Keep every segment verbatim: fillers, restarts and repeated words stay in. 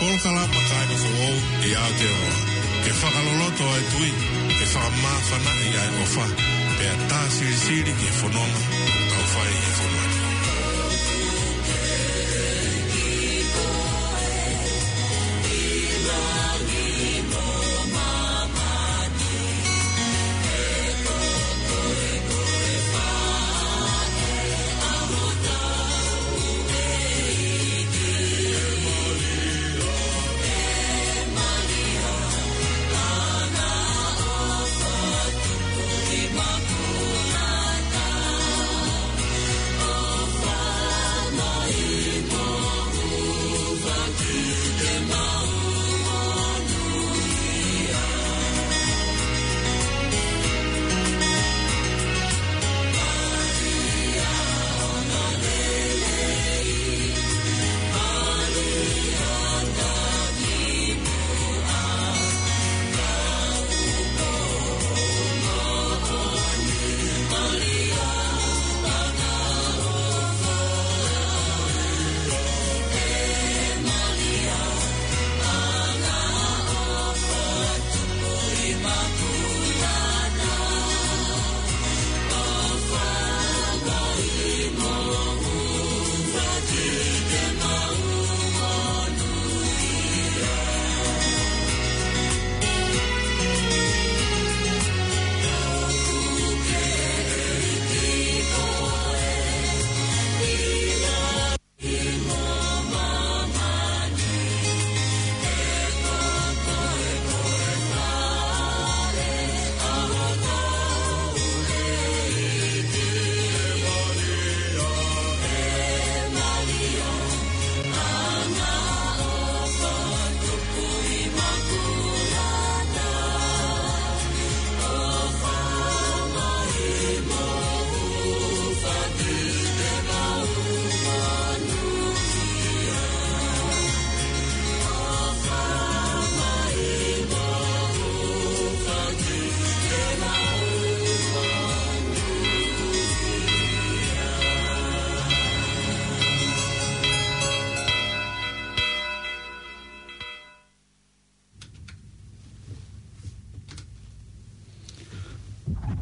Polokalama Kāinga Foʻou ʻi Aotearoa. Ke fakaloloto ʻa e tui, ke fakamāfanaʻi ʻa e ʻofa, pea tā silisili ki he fononga ʻoku tau fai he fonua ni.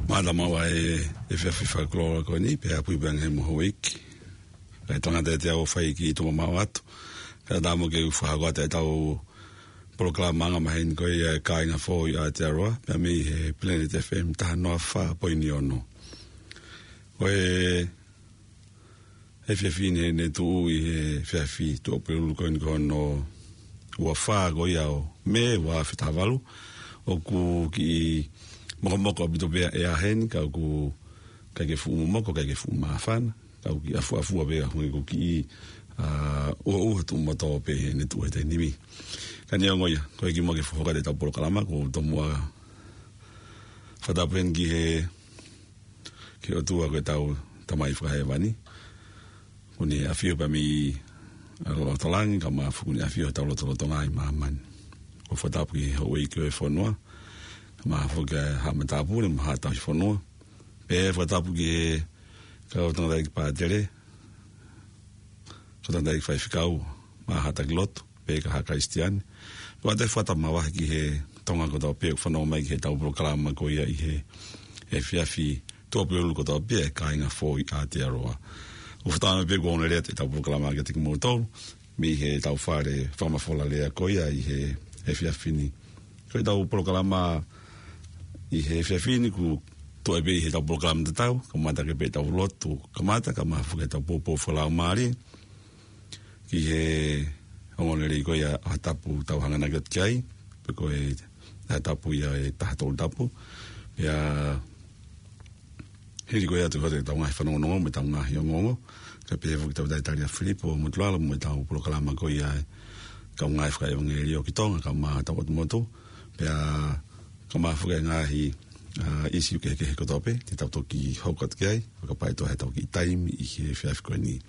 Mālō maua e, e efiafi fakalōloa ko eni, pea ʻapui pē ange mo Houʻeiki. Kae tangata ʻe te au fai ki tuʻa mau atu. Kae ʻatā mo ke u fakahoko atu ʻetau polokalama anga maheni ko ia e Kāinga Foʻou ʻi Aotearoa, pea mei he Planet F M taha noa fā poini ono. Ko e efiafi ni ne tuʻu ʻi he efiafi Tuʻapulelulu ko eni ko hono ua fā ko ia ʻo Mē ua afe taha valu, ʻoku kiʻi mokomoko ʻaupito pē ʻa e ʻea heni, ka ʻoku ʻikai ke fuʻu momoko, ʻikai ke fuʻu māfana, ka ʻoku kiʻi ʻafuʻafua pē, ʻa hangē ʻoku kiʻi, ā, ʻuha, ʻuha tuʻu moto pē heʻene tuʻu he taimi ni. Ka neongo ia, ko e kimuʻa ke fakahoko atu ʻetau polokalama, ʻoku ou tomuʻa fakatapu heni ki he ki he ʻOtua ko ʻetau Tamai fakahēvani. ʻOku ne ʻafio pē mei ʻaloʻofa ʻi loto langi, kae ʻumaʻā foki ʻoku ne ʻafio ʻi hotau lotolotonga ʻi māmani. ʻOku ou fakatapu ki he houʻeiki ʻo e fonua, kae ʻumaʻā foki ʻa e haʻa matāpule mo e haʻa tauhi fonua. Pea fakatapu ki he kau tangataʻeiki pātele, kau tangataʻeiki faifekau, mo e haʻa taki lotu, pea ki he haʻa Kalisitiane. Pea ʻoatu e fakatapu makehe ki he Tonga kotoa pē ʻoku fanongo mai ki heʻetau polokalama ko ia ʻi he efiafi Tuʻapulelulu kotoa pē e Kāinga Foʻou ʻi Aotearoa. ʻOku ou fakatapu pē ʻoku ou ongoongolelei atu ʻetau polokalama kiate kimoutolu mei heʻetau fale fakamafola lea ko ia ʻi he efiafi ni. Ko ʻetau polokalama ʻi he efiafi ni ʻoku tuʻu ai pē ʻi heʻetau polokalama tatau, kamata ki ai pē ʻetau lotu kamata, kae ʻumaʻā foki ʻetau poupou fakalaumālie ki he ongoongolelei ko ia ʻa e tapu ʻoku tau hanganaki atu ki ai, pe ko e taha tapu ia ʻe taha tolu tapu. Pea hili ko ia ʻoku tau hoko atu ʻetau ngaahi fanongonongo mo ʻetau ngaahi ongoongo, kae pehē foki ki he tangataʻeiki Filipo Motulalo mo ʻetau polokalama ko ia e kau ngāue fakaʻevangeliō ki Tonga, kae ʻumaʻā hotau ʻotu motu. Pea kae ʻumaʻā foki e ngaahi, ā, ʻīsiu kehekehe kotoa pē te tau toki hoko atu ki ai, fakapapauʻi ʻe tau ha kiʻi taimi ʻi he efiafi ko eni.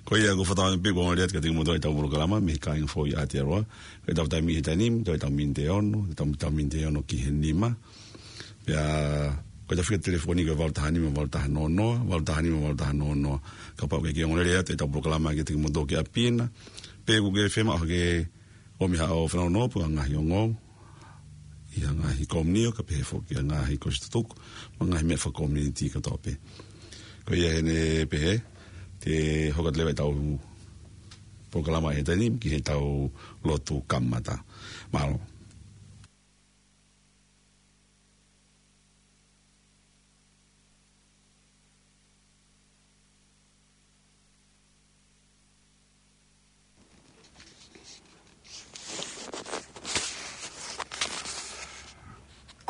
Ko ia ʻoku ou fakatapu pē ʻoku ou ongoongolelei atu kiate kimoutolu ʻetau polokalama mei he Kāinga Foʻou ʻi Aotearoa. Ko ʻetau taimi he taimi ni, ko ʻetau miniti ʻe ono, ʻetau, ʻetau miniti ʻe ono ki he nima. Pea ko ʻetau fika telefoni ko e valu taha nima valu taha noa noa, valu taha nima valu taha noa noa. Kapau ʻoku ke ongoongolelei atu ʻetau polokalama kiate kimoutolu ki ʻapi na, pe ʻoku ke fiemaʻu ha kiʻi ʻOmi haʻo fanongonongo pē ʻa e ngaahi ongo ʻi he ngaahi komiunitī, kae pehē foki ʻa e ngaahi kosipeli tutuku, mo e ngaahi meʻa fakakōmiti kotoa pē. Ko ia ʻeni pehē, te hoko atu leva ʻetau polokalama he taimi ni ki heʻetau lotu kamata. Mālō.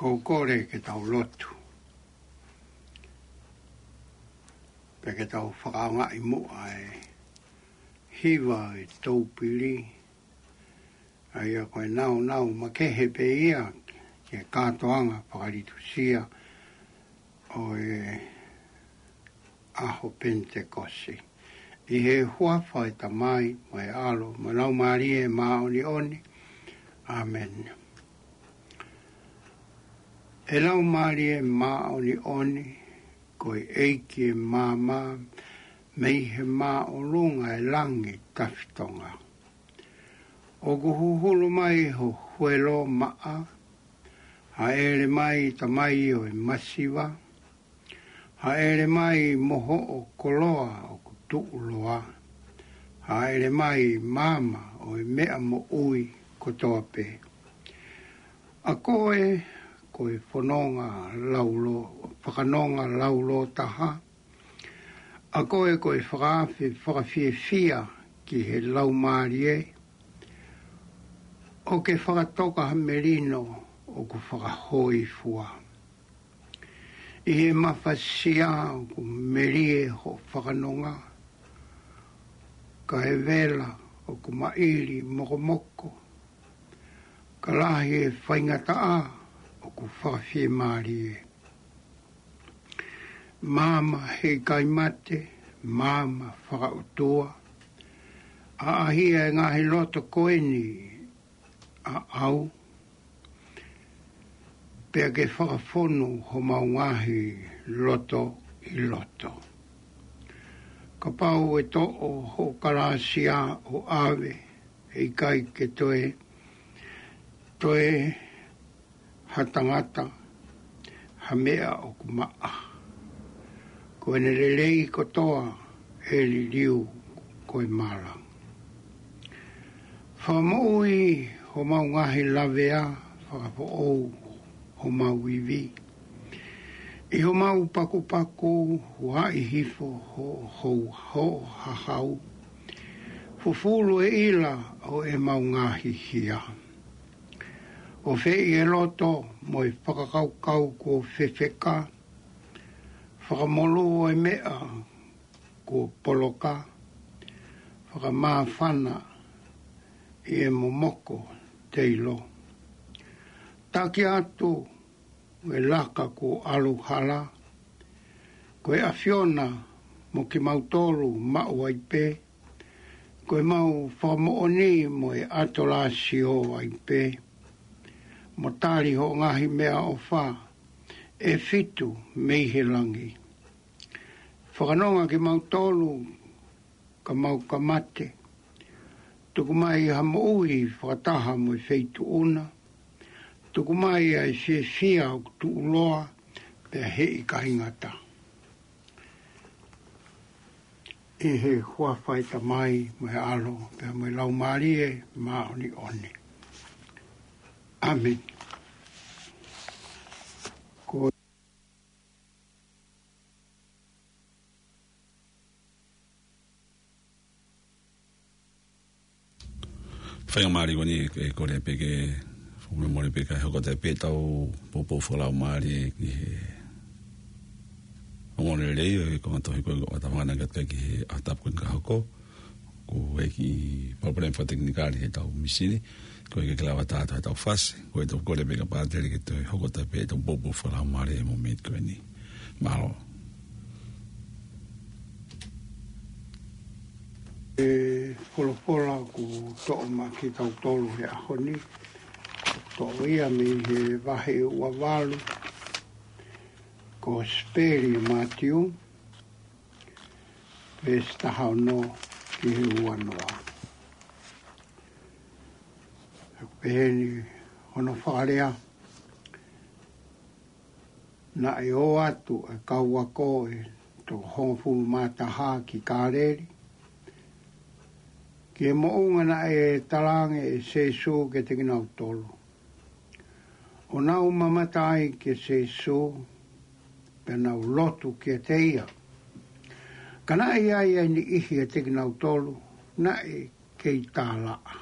Ko u kole ke tau lotu. Pea ke tau fakaʻaongaʻi muʻa e hiva ʻo e Toupili, ʻa ia ko e naunau makehe pē ia ki he kātoanga fakalitusia ʻo e ʻaho Penitekosi. ʻI he huafa ʻo e Tamai, mo e ʻAlo, mo e Laumālie Māʻoniʻoni. ʻĀmeni. ʻE Laumālie Māʻoniʻoni, ko e ʻEiki ʻo e maama, mei he māʻolunga ʻo e langi tafitonga. ʻOku huhulu mai ho huelo maʻa, hāʻele mai Tamai ʻo e masiva, hāʻele mai mo hoʻo koloa ʻoku tuʻuloa, hāʻele mai maama ʻo e meʻa moʻui kotoa pē. ʻA koe ko e fononga laulo-, fakanonga laulōtaha, ʻa koe ko e fakaafe fakafiefia ki he laumālie, ʻo ke fakatoka ha melino ʻoku fakahōifua. ʻI he mafasia ʻoku melie hoʻo fakanonga, kae vela ʻoku maʻili mokomoko, ka lahi e faingataʻa ʻoku fakafiemālie. Maama heʻikai mate, maama fakaʻotua, ʻaʻahia e ngaahi loto ko eni ʻaʻau, pea ke fakafonu homau ngaahi loto ʻi loto. Kapau ʻe toʻo hoʻo kalāsia ʻo ʻave, heʻikai ke toe, toe ha tangata ha meʻa ʻoku maʻa. Ko ʻene lelei kotoa ʻe liliu ko e mala. Fakamoʻui homau ngaahi lavea, fakafoʻou homau ivi. ʻI homau pakupaku, huaʻi hifo ho, ho, hoʻo hahau. Fufulu e ʻila ʻo ʻemau ngaahi hia. ʻOfeʻi e loto mo e fakakaukau kuo fefeka. Fakamolū e meʻa kuo poloka. Fakamāfana ʻi he momoko teilo. Taki atu e laka kuo ʻalu hala. Ko e ʻAfiona mo kimautolu maʻu ai pē. Ko ʻemau fakamoʻoni mo e ʻatolāsio ai pē. Mo tali hoʻo ngaahi meʻaʻofa ʻe fitu mei he langi. Fakanonga kimautolu ka mau ka mate. Tuku mai ha moʻui fakataha mo e feituʻu na. Tuku mai ʻa e fiefia ʻoku tuʻuloa pea heʻikai ngata. ʻI he huafa ʻo e Tamai mo e ʻAlo pea mo e Laumālie Māʻoniʻoni. ʻĀmeni. Ko Faingamālie ko eni ʻe kole pē ke fakamolemole pē kae hoko atu pē ʻetau poupou fakalaumālie ki he ongoongolelei ʻo e konga tohi ko ē ʻo e ʻOtua Māʻoniʻoni ʻoku ʻatā ki he ʻaho Tapu ko eni ka hoko. Ko e kiʻi palopalema fakatekinikale heʻetau mīsini. Ko e ke lava atu heʻetau fasi. Ko e tau kole pē ka pātele ke toe hoko atu pē ʻetau poupou fakalaumālie he mōmeniti ko eni. Mālō. E folofola kuo toʻo maʻa kitautolu he ʻaho ni, toʻo ia mei he vahe ua valu, Kosipeli ʻa Mātiu, veesi taha ono ki he ua noa. Peheni hono fakalea: Naʻe ō atu e kau ako ʻe toko hongofulu mā taha ki Kāleli, ki he moʻunga naʻe talaange ʻe Sīsū kiate kinautolu, ʻo nau mamata ai kia Sīsū, pea nau lotu kiate ia. Ka naʻe ʻi ai ʻa e niʻihi ʻiate kinautolu naʻe kei tālaʻa.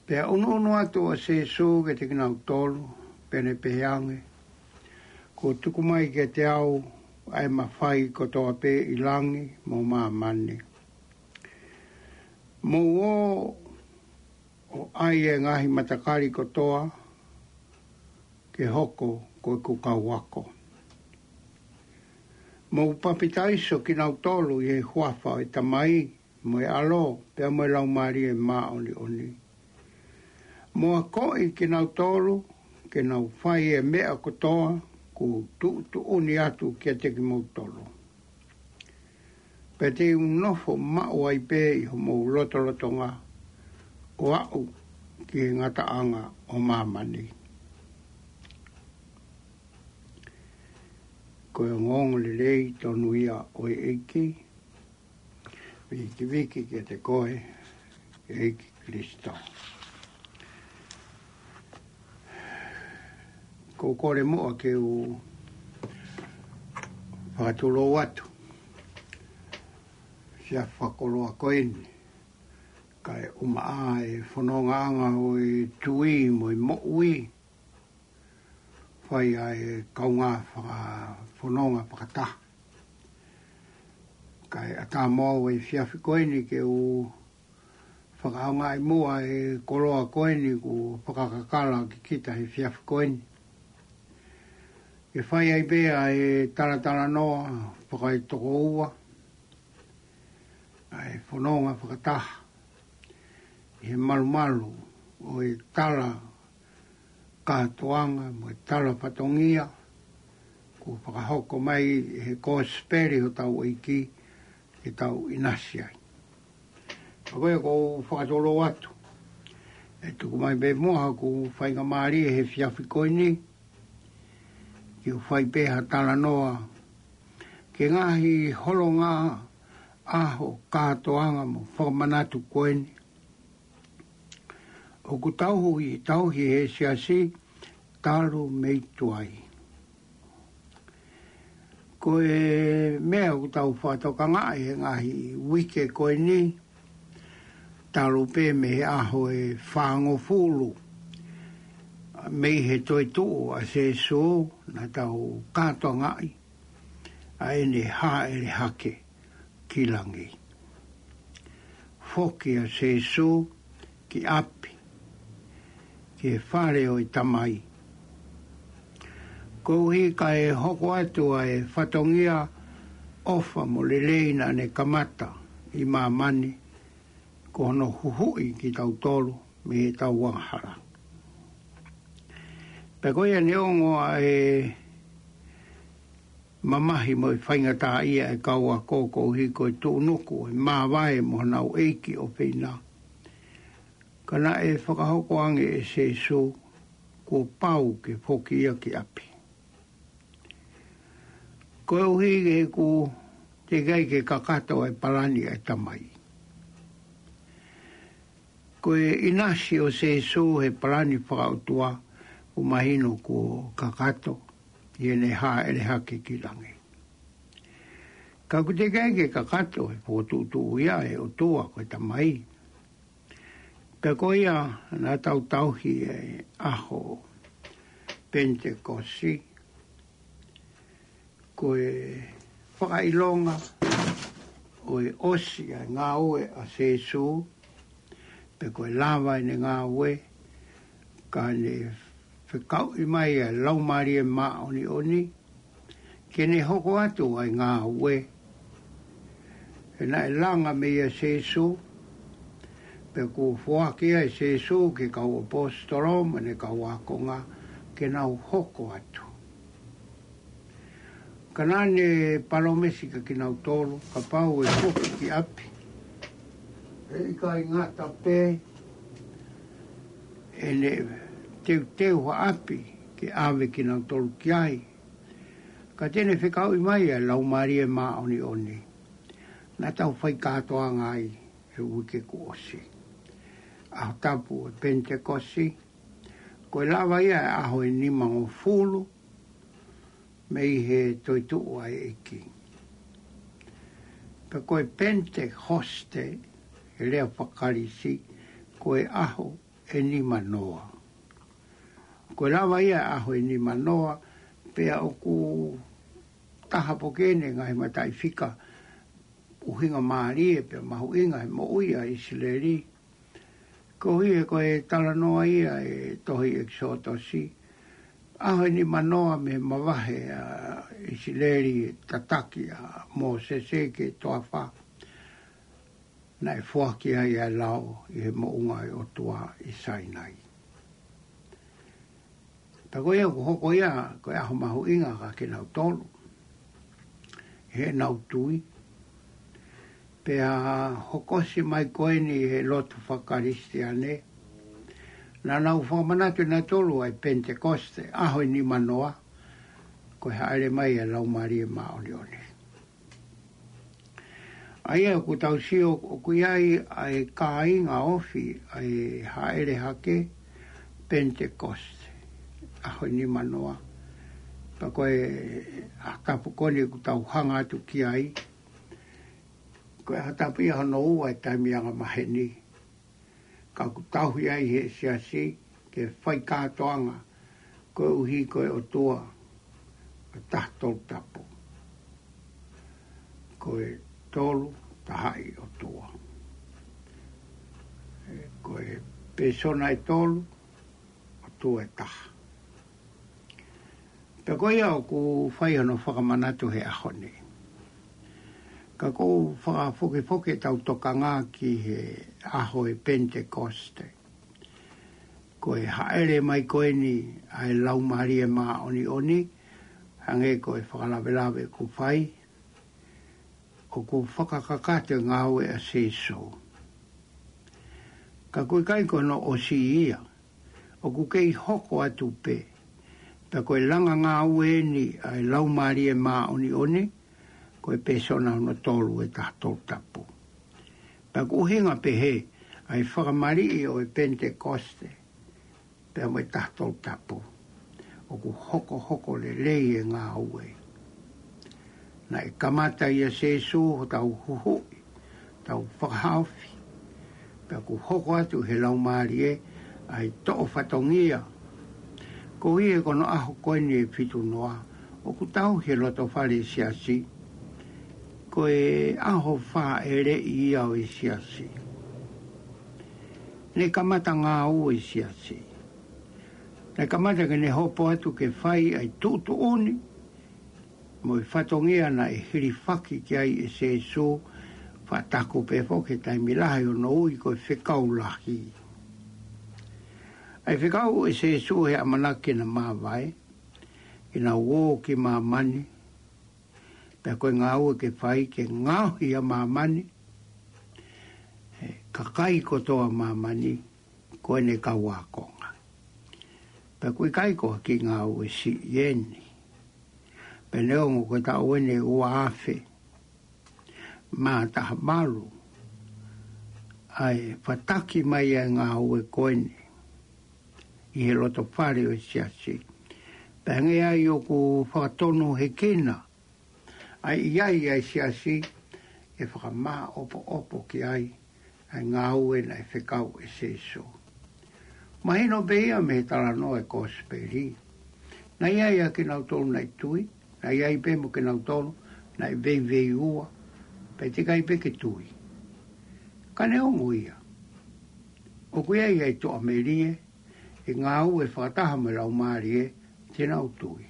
Pea ʻunuʻunu atu ʻa Sīsū kiate kinautolu, pea ne pehē ange, Kuo tuku mai kiate au ʻa e mafai kotoa pē ʻi langi mo māmani. Mou ō ʻo ʻai e ngaahi matakali kotoa ke hoko ko ʻeku kau ako. Mou papitaiso kinautolu ʻi he huafa ʻo e Tamai, mo e ʻAlo, pea mo e Laumālie Māʻoniʻoni. Mou akoʻi kinautolu ke nau fai e meʻa kotoa kuo u tuʻutuʻuni atu kiate kimoutolu. Pea te u nofo maʻu ai pē ʻi homou lotolotonga, ʻo aʻu ki he ngataʻanga ʻo māmani. Ko e ongoongolelei tonu ia ʻo e ʻEiki. Vikiviki kiate koe, ʻEiki Kalaisi. Ko e kole muʻa ke u fakatulou atu siʻa fakakoloa ko eni, kae ʻumaʻā e fonongaʻanga ʻo e tui mo e moʻui, fai ʻa e kaungā fakafononga fakataha. Kae ʻatā mo au e efiafi ko eni ke u fakaʻaongaʻi muʻa e koloa ko eni kuo fakakakala ke kita he efiafi ko eni, ke fai ai pē ʻa e talatalanoa fakaetokoua, ʻa e fononga fakataha ʻi he malumalu ʻo e tala kātoanga mo e tala fatongia kuo fakahoko mai ʻe he Kosipeli hotau ʻEiki ke tau ʻinasi ai. Ka ko ia ʻoku ou fakatulou atu, ʻe tuku mai pē muʻa hoku faingamālie he efiafi ko eni, ke u fai pē ha talanoa ki he ngaahi holonga ʻaho kātoanga mo fakamanatu ko eni ʻoku tauhi, tauhi he siasi talu mei tuai. Ko e meʻa ʻoku tau fakatokangaʻi he ngaahi uike ko eni, talu pē mei he ʻaho ʻe fāngofulu mei he toetuʻu ʻa Sīsū, naʻa tau kātoangaʻi ʻa ʻene hāʻele hake ki langi. Foki ʻa Sīsū ki ʻapi, ki he fale ʻo e Tamai, koeʻuhi kae hoko atu ʻa e fatongia ʻofa mo lelei naʻa ne kamata ʻi māmani, ko hono huhuʻi kitautolu mei heʻetau angahala. Pea ko ia neongo ʻa e mamahi mo e faingataʻaʻia ʻa e kau ako koeʻuhi ko e tuʻunuku ʻo e māvae mo honau ʻeiki ʻofeina, ka naʻe fakahoko ange ʻe Sīsū kuo pau ke foki ia ki ʻapi. Koeʻuhi he ʻoku teʻeki ai ke kakato e palani ʻa e Tamai. Ko e ʻinasi ʻo Sīsū he palani fakaʻotua, ʻoku mahino kuo kakato ʻi heʻene hāʻele hake ki langi. Ka ʻoku teʻeki ai ke kakato e fokotuʻutuʻu ia ʻa e ʻOtua ko e Tamai. Pea ko ia naʻa tau tauhi e ʻaho Penitekosi, ko e fakaʻilonga ʻo e ʻosi ʻa e ngāue ʻa Sīsū, pe ko e lava ʻene ngāue, ka ne fekauʻi mai ʻa e Laumālie Māʻoniʻoni ke ne hoko atu ʻa e ngāue. He naʻe langa mei ai ʻa Sīsū, pea kuo foaki ai ʻe Sīsū ki he kau ʻaposetolo mo ʻene kau ākonga ke nau hoko atu. Ka naʻa ne palōmesi kiate kinautolu, kapau ʻe foki ki ʻapi, ʻe ʻikai ngata pē ʻene teuteu ha ʻapi ke ʻave kinautolu ki ai. Ka te ne fekauʻi mai ʻa e Laumālie Māʻoniʻoni. Naʻa tau fai kātoanga ai he uike kuo ʻosi. ʻAho tapu ʻo e Penitekosi, ko e lava ia ʻa e ʻaho ʻe nimangofulu mei he toetuʻu ʻa e ʻEiki. Pea ko e Penitekosi, he lea faka-Kalisi, ko e ʻaho ʻe nimanoa. Ko e lava ia ʻa e ʻaho ʻe nimanoa, pea ʻoku taha pē ʻeni e ngaahi mataʻifika ʻuhinga mālie pea mahuʻinga he moʻui ʻa ʻIsileli. Koeʻuhi he ko e talanoa ia ʻa e tohi ʻEkisotosi, ʻaho ʻe nimanoa mei he mavahe ʻa ʻIsileli, tataki ʻa Mōsese ki he toafa, naʻe foaki ai ʻa e lao ʻi he moʻunga ʻo e ʻOtua ʻi Sainai. Pea ko ia ʻoku hoko ia ko e ʻaho mahuʻinga kia kinautolu heʻenau tui. Pea hokosi mai ko eni he lotu faka-Kalisitiane, naʻa nau fakamanatu ʻe nautolu ʻa e Penitekosi, ʻaho ʻe nimanoa, ko e hāʻele mai ʻa e Laumālie Māʻoniʻoni. ʻA ia ʻoku tau sio ʻoku ʻi ai ʻa e kāinga ofi ʻa e hāʻele hake Penitekosi, ʻaho ʻe nimanoa. Pea ko e ʻaho tapu ko eni ʻoku tau hanga atu ki ai, ko e ʻaho tapu ia hono ua ʻo e taimi angamaheni. Ka ʻoku tauhi ai ʻe he siasi ke fai kātoanga koeʻuhi ko e ʻOtua ʻe taha tolu tapu. Ko e Tolu Tahaʻi ʻOtua. Ko e pēsona ʻe tolu, ʻOtua ʻe taha. Pea ko ia ʻoku fai hono fakamanatu he ʻaho ni. Ka ʻoku ou fakafokifoki ʻetau tokanga ki he ʻaho ʻo e Penitekosi. Ko e hāʻele mai ko eni ʻa e Laumālie Māʻoniʻoni, hangē ko e fakalavelave ʻoku fai, ʻoku fakakakato e ngāue ʻa Sīsū. Ka ʻoku ʻikai ko hono ʻosi ia, ʻoku kei hoko atu pē. Pea ko e langa ngāue eni ʻa e Laumālie Māʻoniʻoni, ko e pēsona hono tolu ʻe taha tolu tapu. Pea ʻoku ʻuhinga pehē ʻa e fakamaliʻi ʻo e Penitekosi pea mo e taha tolu tapu, ʻoku hokohoko lelei e ngāue. Naʻe kamata ʻia Sīsū hotau huhuʻi, tau fakahaofi, pea ʻoku hoko atu he Laumālie ʻa e toʻo fatongia. Koeʻuhi ko hono ʻaho ko eni ʻe fitu noa, ʻoku tauhi he loto fale ʻo e siasi ko e ʻaho fāʻeleʻi ia ʻo e siasi. Ne kamata ngāue e siasi. Ne kamata ke ne hopo atu ke fai ʻa e tuʻutuʻuni mo e fatongia naʻe hilifaki ki ai ʻe Sīsū, fakataku pē foki he taimi lahi hono ui ko e Fekau Lahi. ʻA e fekau ʻe Sīsū he ʻamanaki ke na māvae, ke na ō ki māmani, pea ko e ngāue ke fai ke ngaohi ʻa māmani, he kakai kotoa ʻo māmani ko ʻene kau ākonga. Pea ʻoku ʻikai ko ha kiʻi ngāue siʻi eni. Pea neongo ko e taʻu eni ʻe ua afe mā taha valu ʻa e fataki mai ʻa e ngāue ko eni ʻi he loto fale ʻo e siasi. Pea hangē ai ʻoku fakatonu hekina ʻa e ʻi ai ʻa e siasi ke fakamāʻopoʻopo ki ai ʻa e ngāue naʻe fekau ʻe Sīsū. Mahino pē ia mei he talanoa ʻo e Kosipeli. Naʻe ʻi ai ʻa kinautolu naʻe tui, naʻe ʻi ai pē mo kinautolu naʻe veiveiua, pea teʻeki ai pē ke tui. Ka neongo ia, ʻoku ʻi ai ʻa e tuʻamelie, ʻe ngāue fakataha mo e Laumālie, te nau tui.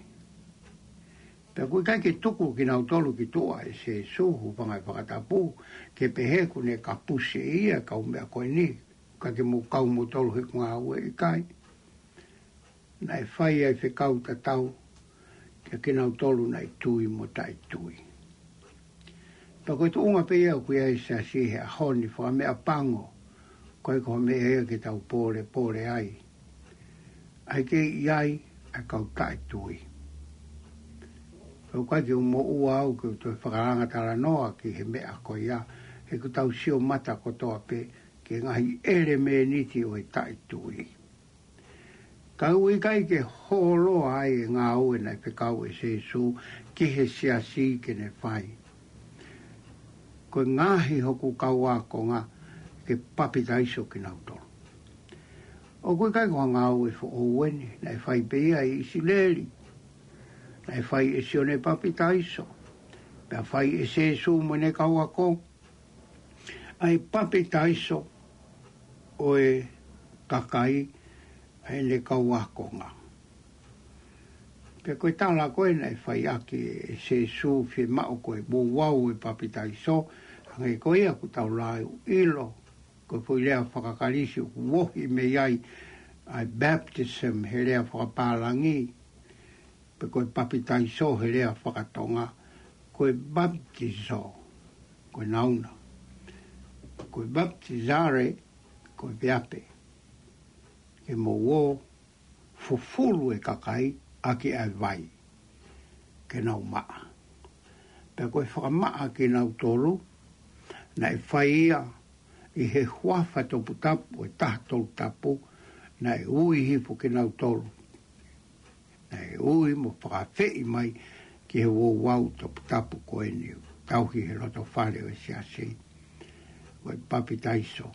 Pea ʻoku ʻikai ke tuku kinautolu ki tuʻa ʻe Sīsū, hūfanga he fakatapu, ke pehē ʻoku ne kapusi ʻe ia e kau meʻa ko eni, ka ke mou kau moutolu he ʻeku ngāue, ʻikai. Naʻe fai ʻa e fekau tatau kia kinautolu naʻe tui mo taʻetui. Pea ko e tuʻunga pē ia ʻoku ʻi ai e siasi he ʻaho ni, fakameʻapango, ʻoku ʻikai ko ha meʻa ia ke tau pōlepole ai. ʻa e kei ʻi ai ʻa e kau taʻetui. Pea ʻoku ʻikai ke u moʻua au ke u toe fakalanga talanoa ki he meʻa ko ia, he kuo tau sio mata kotoa pē ki he ngaahi ʻelemēniti ʻo e taʻetui. Ka ʻoku ʻikai ke holoa ai e ngāue naʻe fekau ʻe Sīsū ki he siasi ke ne fai. Ko e ngaohi hoku kau ākonga ke papitaiso kinautolu. ʻOku ʻikai ko ha ngāue foʻou eni, naʻe fai pē ia ʻi ʻIsileli. Naʻe fai ʻe Sione Papitaiso, pea fai ʻe Sīsū mo ʻene kau ako, ʻa e papitaiso ʻo e kakai ʻa ʻene kau ākonga. Pea ko e tala ko ē naʻe fai ʻaki ʻe Sīsū fiemaʻu ko e ouau e papitaiso, hangē ko ia ʻoku tau lau ʻilo, ko e foʻi lea fakaKalisi ʻoku ohi mei ai ʻa e baptism he lea fakapālangi, pe ko e papitaiso he lea fakatonga, ko e baptizo, ko e nauna. Ko e baptizare, ko e veape. Ke mou ō fufulu e kakai ʻaki ʻa e vai, ke nau maʻa. Pea ko e fakamaʻa kinautolu, naʻe fai ia ʻi he huafa toputapu ʻo e Taha Tolu Tapu, naʻe ui hifo kinautolu. Naʻe ui mo fakaafeʻi mai ki he ouau toputapu ko eni, tauhi he loto fale ʻo e siasi. Ko e papitaiso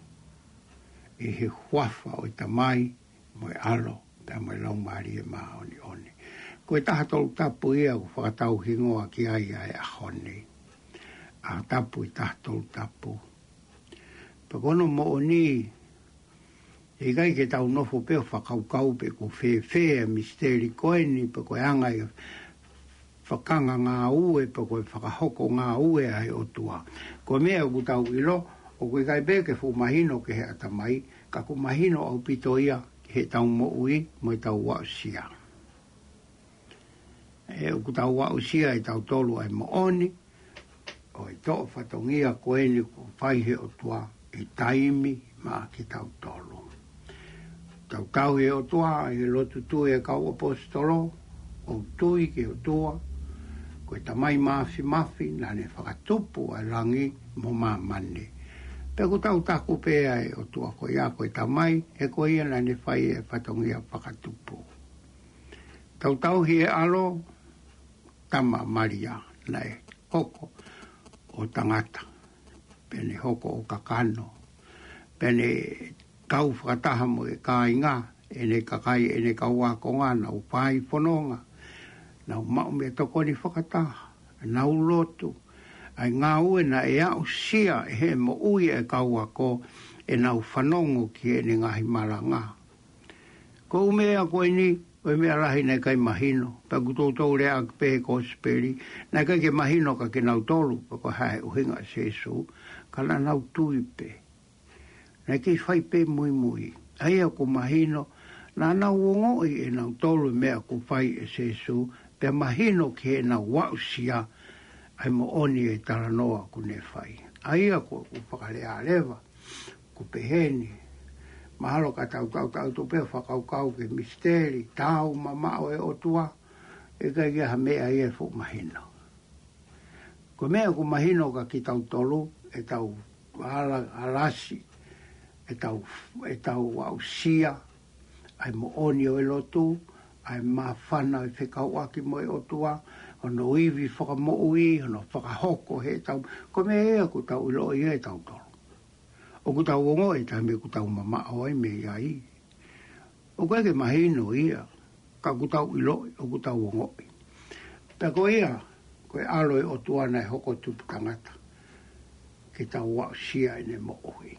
ʻi he huafa ʻo e Tamai, mo e ʻAlo, pea mo e Laumālie Māʻoniʻoni. Ko e Taha Tolu Tapu ia ʻoku fakatauhingoa ki ai ʻa e ʻaho ni. ʻAho Tapu ʻi Taha Tolu Tapu. Pea ko hono moʻoni, ʻe ʻikai ke tau nofo pē ʻo fakakaukau pe ʻoku fēfē e misiteli ko eni, pe ko e anga e fakangāngāue, pe ko e fakahoko ngāue ʻa e ʻOtua. Ko e meʻa ʻoku tau ʻilo, ʻoku ʻikai pē ke fuʻu mahino ki he ʻatamai, ka ʻoku mahino ʻaupito ia ki heʻetau moʻui mo ʻetau aʻusia. ʻE ʻoku tau aʻusia ʻe tautolu ʻa e moʻoni ʻo e toʻo fatongia ko eni kuo fai he ʻOtua ʻi taimi maʻa kitautolu. Tau tauhi e ʻOtua ʻi he lotu tui e kau ʻaposetolo, ʻo tui ki he ʻOtua, ko e Tamai Māfimafi, naʻa ne fakatupu ʻa e langi mo māmani. Pea ʻoku tau taku pē ʻa e ʻOtua ko ia ko e Tamai, he ko ia naʻa ne fai e fatongia fakatupu. Tau tauhi e ʻAlo, Tama Malia, naʻe hoko ʻo tangata, pea ne hoko ʻo kakano, pea ne kau fakataha mo e kāinga, ʻene kakai, ʻene kau ākonga, nau fai fononga, nau maʻu meʻatokoni fakataha, nau lotu, ʻa e ngāue naʻe aʻusia ʻe he moʻui e kau ako, ʻenau fanongo ki heʻene ngaahi malanga. Ko e ʻū meʻa ko eni, ko e meʻa lahi naʻe ʻikai mahino, pea ʻoku toutou lea ʻaki pē he kosipeli, naʻe ʻikai ke mahino kia kinautolu, pe ko e hā e ʻuhinga ʻa Sīsū, ka naʻa nau tui pē. Naʻe kei fai pē muimui. ʻA ia ʻoku mahino, naʻa nau ongoʻi ʻe nautolu e meʻa kuo fai ʻe Sīsū, pea mahino ki heʻenau aʻusia ʻa e moʻoni e talanoa kuo ne fai. ʻA ia ʻoku ou fakalea leva, ʻoku pehē ni, mahalo ka tau tautau atu pē ʻo fakakaukau ki he misiteli, taumamaʻo e ʻOtua, ʻe ʻikai ke ʻi ai ha meʻa ia ʻe fuʻu mahino. Ko e meʻa ʻoku mahino kia kitautolu, ʻetau ala, alasi, ʻetau, ʻetau aʻusia ʻa e moʻoni ʻo e lotu, ʻa e māfana ʻo e fekauʻaki mo e ʻOtua, hono ivi fakamoʻui, hono fakahoko heʻetau, ko e meʻa ia ʻoku tau ʻiloʻi ia ʻe tautolu. ʻOku tau ongoʻi e taimi ʻoku tau mamaʻo ai mei ai. ʻOku ʻikai ke mahino ia, ka ʻoku tau ʻiloʻi, ʻoku tau ongoʻi. Pea ko ia, ko e ʻAlo e ʻOtua naʻe hoko tupu tangata, ke tau aʻusia ʻene moʻui.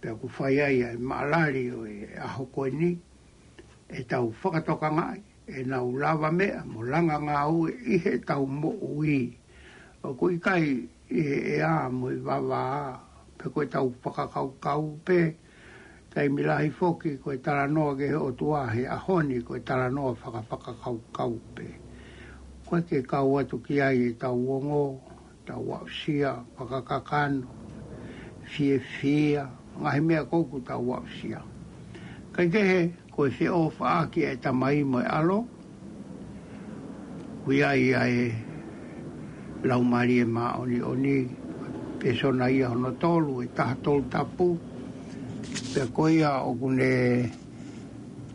Pea ʻoku fai ai ʻa e maʻalali ʻo e ʻaho ko eni, ʻetau fakatokangaʻi ʻenau lavameʻa mo langa ngāue ʻi heʻetau moʻui. ʻOku ʻikai ʻi he ʻea mo e vavā, pe ko ʻetau fakakaukau pē. Taimi lahi foki ko e talanoa ki he ʻOtua he ʻaho ni ko e talanoa fakafakakaukau pē. ʻOku ʻikai ke kau atu ki ai ʻetau ongo, tau aʻusia, fakakakano, fiefia, ngaahi meʻa ko ē ʻoku tau aʻusia. Kaikehe, ko Ko e feʻofaʻaki ʻa e Tamai mo e ʻAlo, ʻoku ʻi ai ʻa e Laumālie Māʻoniʻoni, pēsona ia hono tolu, ʻe taha tolu tapu. Pea ko ia ʻoku ne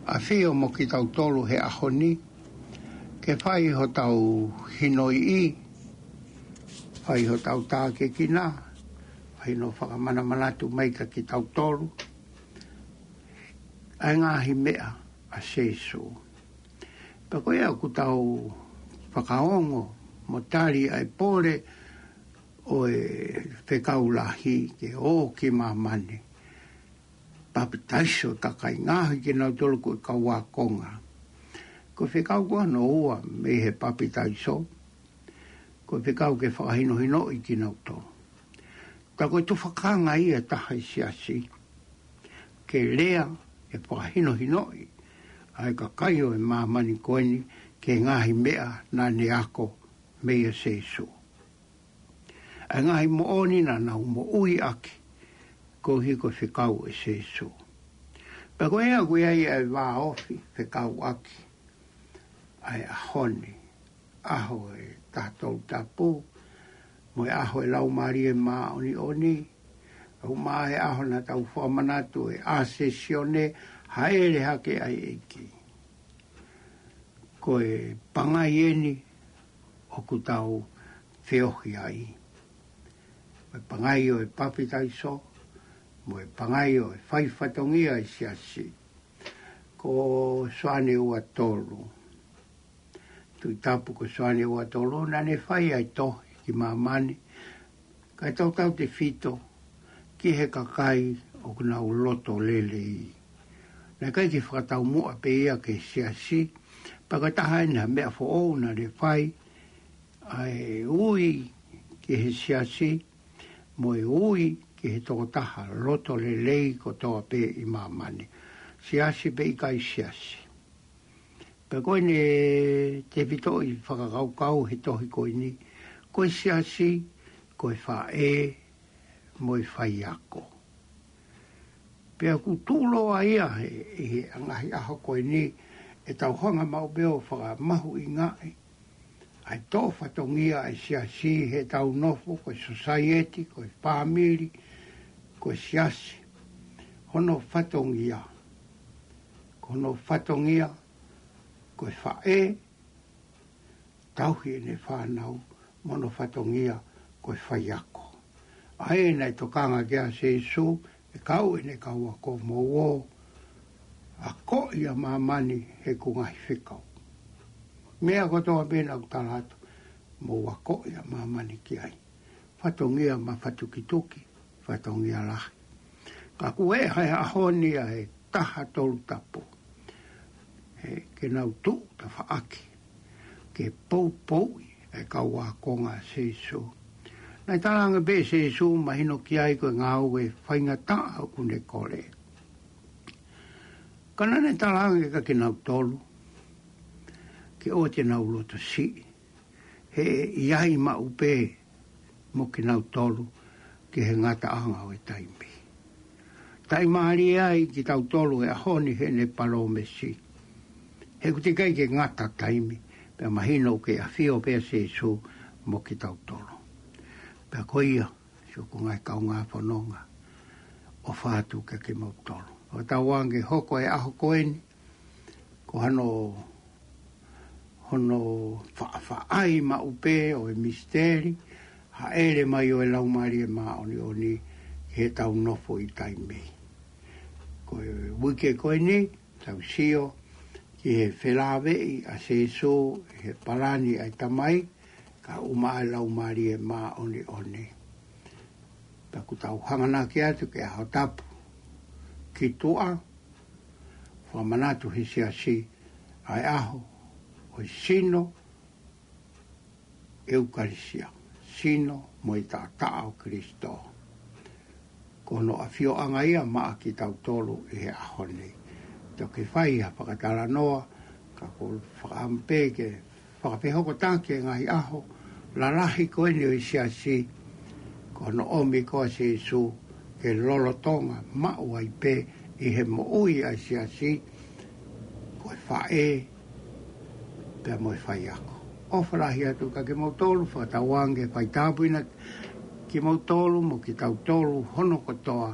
ʻafio mo kitautolu he ʻaho ni, ke fai hotau hinoiʻi, fai hotau tākiekina, fai hono fakamanamanatu mai kia kitautolu ʻa e ngaahi meʻa ʻa Sīsū. Pea ko ia ʻoku tau fakaongo mo tali ʻa e pole ʻo e fekau lahi ke ō ki māmani, papitaiso kakai, ngaohi kinautolu ko e kau ākonga. Ko e fekau ko hono ua mei he papitaiso, ko e fekau ke fakahinohinoʻi kinautolu. Ka ko e tufakanga ia ʻe taha ʻi he siasi, ke lea ʻe fakahinohinoʻi ʻa e kakai ʻo e māmani ko eni ki he ngaahi meʻa naʻa ne ako meia Sīsū, ʻa e ngaahi moʻoni naʻa nau moʻui ʻaki koeʻuhi ko e fekau ʻe Sīsū. Pea ko ia ʻoku ʻi ai ʻa e vāofi fekauʻaki ʻa e ʻaho ni, ʻaho ʻe taha tolu tapu, mo e ʻaho ʻo e Laumālie Māʻoniʻoni. ʻOku maʻa e ʻaho naʻa tau fakamanatu ʻe ʻAsesione, hāʻele hake ʻa e ʻEiki. Ko e pangai eni ʻoku tau feohi ai, mo e pangai ʻo e papitaiso, mo e pangai ʻo e fai fatongia ʻi he siasi. Ko Soane ua tolu, Tuʻi Tapu ko Soane ua tolu, naʻa ne fai ʻa e tohi ki māmani, kae tautautefito ki he kakai ʻoku nau loto lelei. Naʻe ʻikai ke fakataumuʻa pē ia ki he siasi, pea ko e taha eni ha meʻa foʻou naʻa ne fai, ʻa e ui ki he siasi, mo e ui ki he tokotaha loto lelei kotoa pē ʻi māmani, siasi pe ʻikai siasi. Pea ko ʻene tefitoʻi fakakaukau he tohi ko eni, ko e siasi ko e faʻē mo e faiako. Pea ʻoku tuʻuloa ia he, he ngaahi ʻaho ko eni, ʻetau hanga maʻu pē ʻo fakamahuʻingaʻi ʻa e toʻo fatongia ʻa e siasi heʻetau nofo, ko e sōsaieti, ko e fāmili, ko e siasi. Hono fatongia, ko hono fatongia ko e faʻē, tauhi ʻene fānau, mo hono fatongia ko e faiako. ʻA ē naʻe tokanga ki ai ʻa Sīsū, ʻe kau ʻene kau ako, mou ō, akoʻi ʻa māmani heʻeku ngaahi fekau. Meʻa kotoa pē naʻa ku tala atu, mou akoʻi ʻa māmani ki ai. Fatongia mafatukituki, fatongia lahi. Ka ʻoku ʻi ai he ʻaho ni ʻa e taha tolu tapu, he ke nau tuʻu tafaʻaki ke poupouʻi ʻa e kau ākonga ʻa Sīsū. Naʻe talaange pē ʻe Sīsū, mahino ki ai ko e ngāue faingataʻa ʻoku ne kole. Ka naʻa ne talaange kia kinautolu ke ʻoua te nau loto siʻi, he ʻe ʻi ai maʻu pē mo kinautolu ki he ngataʻanga ʻo e taimi. Taʻimālie ai kitautolu he ʻaho ni heʻene palōmesi, he ʻoku teʻeki ai ke ngata taimi, pea mahino ʻoku kei ʻafio pē ʻa Sīsū mo kitautolu. Pea ko ia, siʻoku ngaahi kaungā fononga, ʻofa atu kia kimoutolu. ʻOku tau ange hoko e ʻaho ko eni, ko hano, hono faʻafaʻai maʻu pē ʻo e misiteli, hāʻele mai ʻo e Laumālie Māʻoniʻoni heʻetau nofo ʻi taimi. Ko e uike ko eni, tau sio ki he felāveʻi ʻa Sīsū ʻi he palani ʻa e Tamai, kae ʻumaʻā e Laumālie Māʻoniʻoni. Pea ʻoku tau hanganaki atu ki he ʻaho tapu ki tuʻa, fakamanatu he siasi ʻa e ʻaho ʻo e sino, ʻEukalisia, sino mo e taʻataʻa ʻo Kalaisi. Ko hono ʻafioʻanga ia maʻa kitautolu ʻi he ʻaho ni. Toki fai ha fakatalanoa, ka ʻoku ou fakaʻamu pē ke fakafehokotaki e ngaahi ʻaho lalahi ko eni ʻo e siasi, ko hono ʻomi ko ē ʻa Sīsū ke lolotonga maʻu ai pē ʻi he moʻui ʻa e siasi, e faʻē, pea mo e faiako. ʻOfa lahi atu kia kimoutolu, fakatauange ke fai tāpuekina kimoutolu mo kitautolu hono kotoa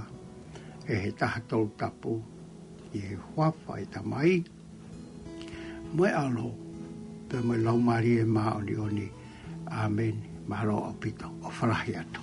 ʻe he Taha Tolu Tapu, ʻi he huafa ʻo e Tamai, mo e ʻAlo, pea mo e Laumālie Māʻoniʻoni. ʻĀmeni. Mālō ʻaupito. ʻOfa lahi atu.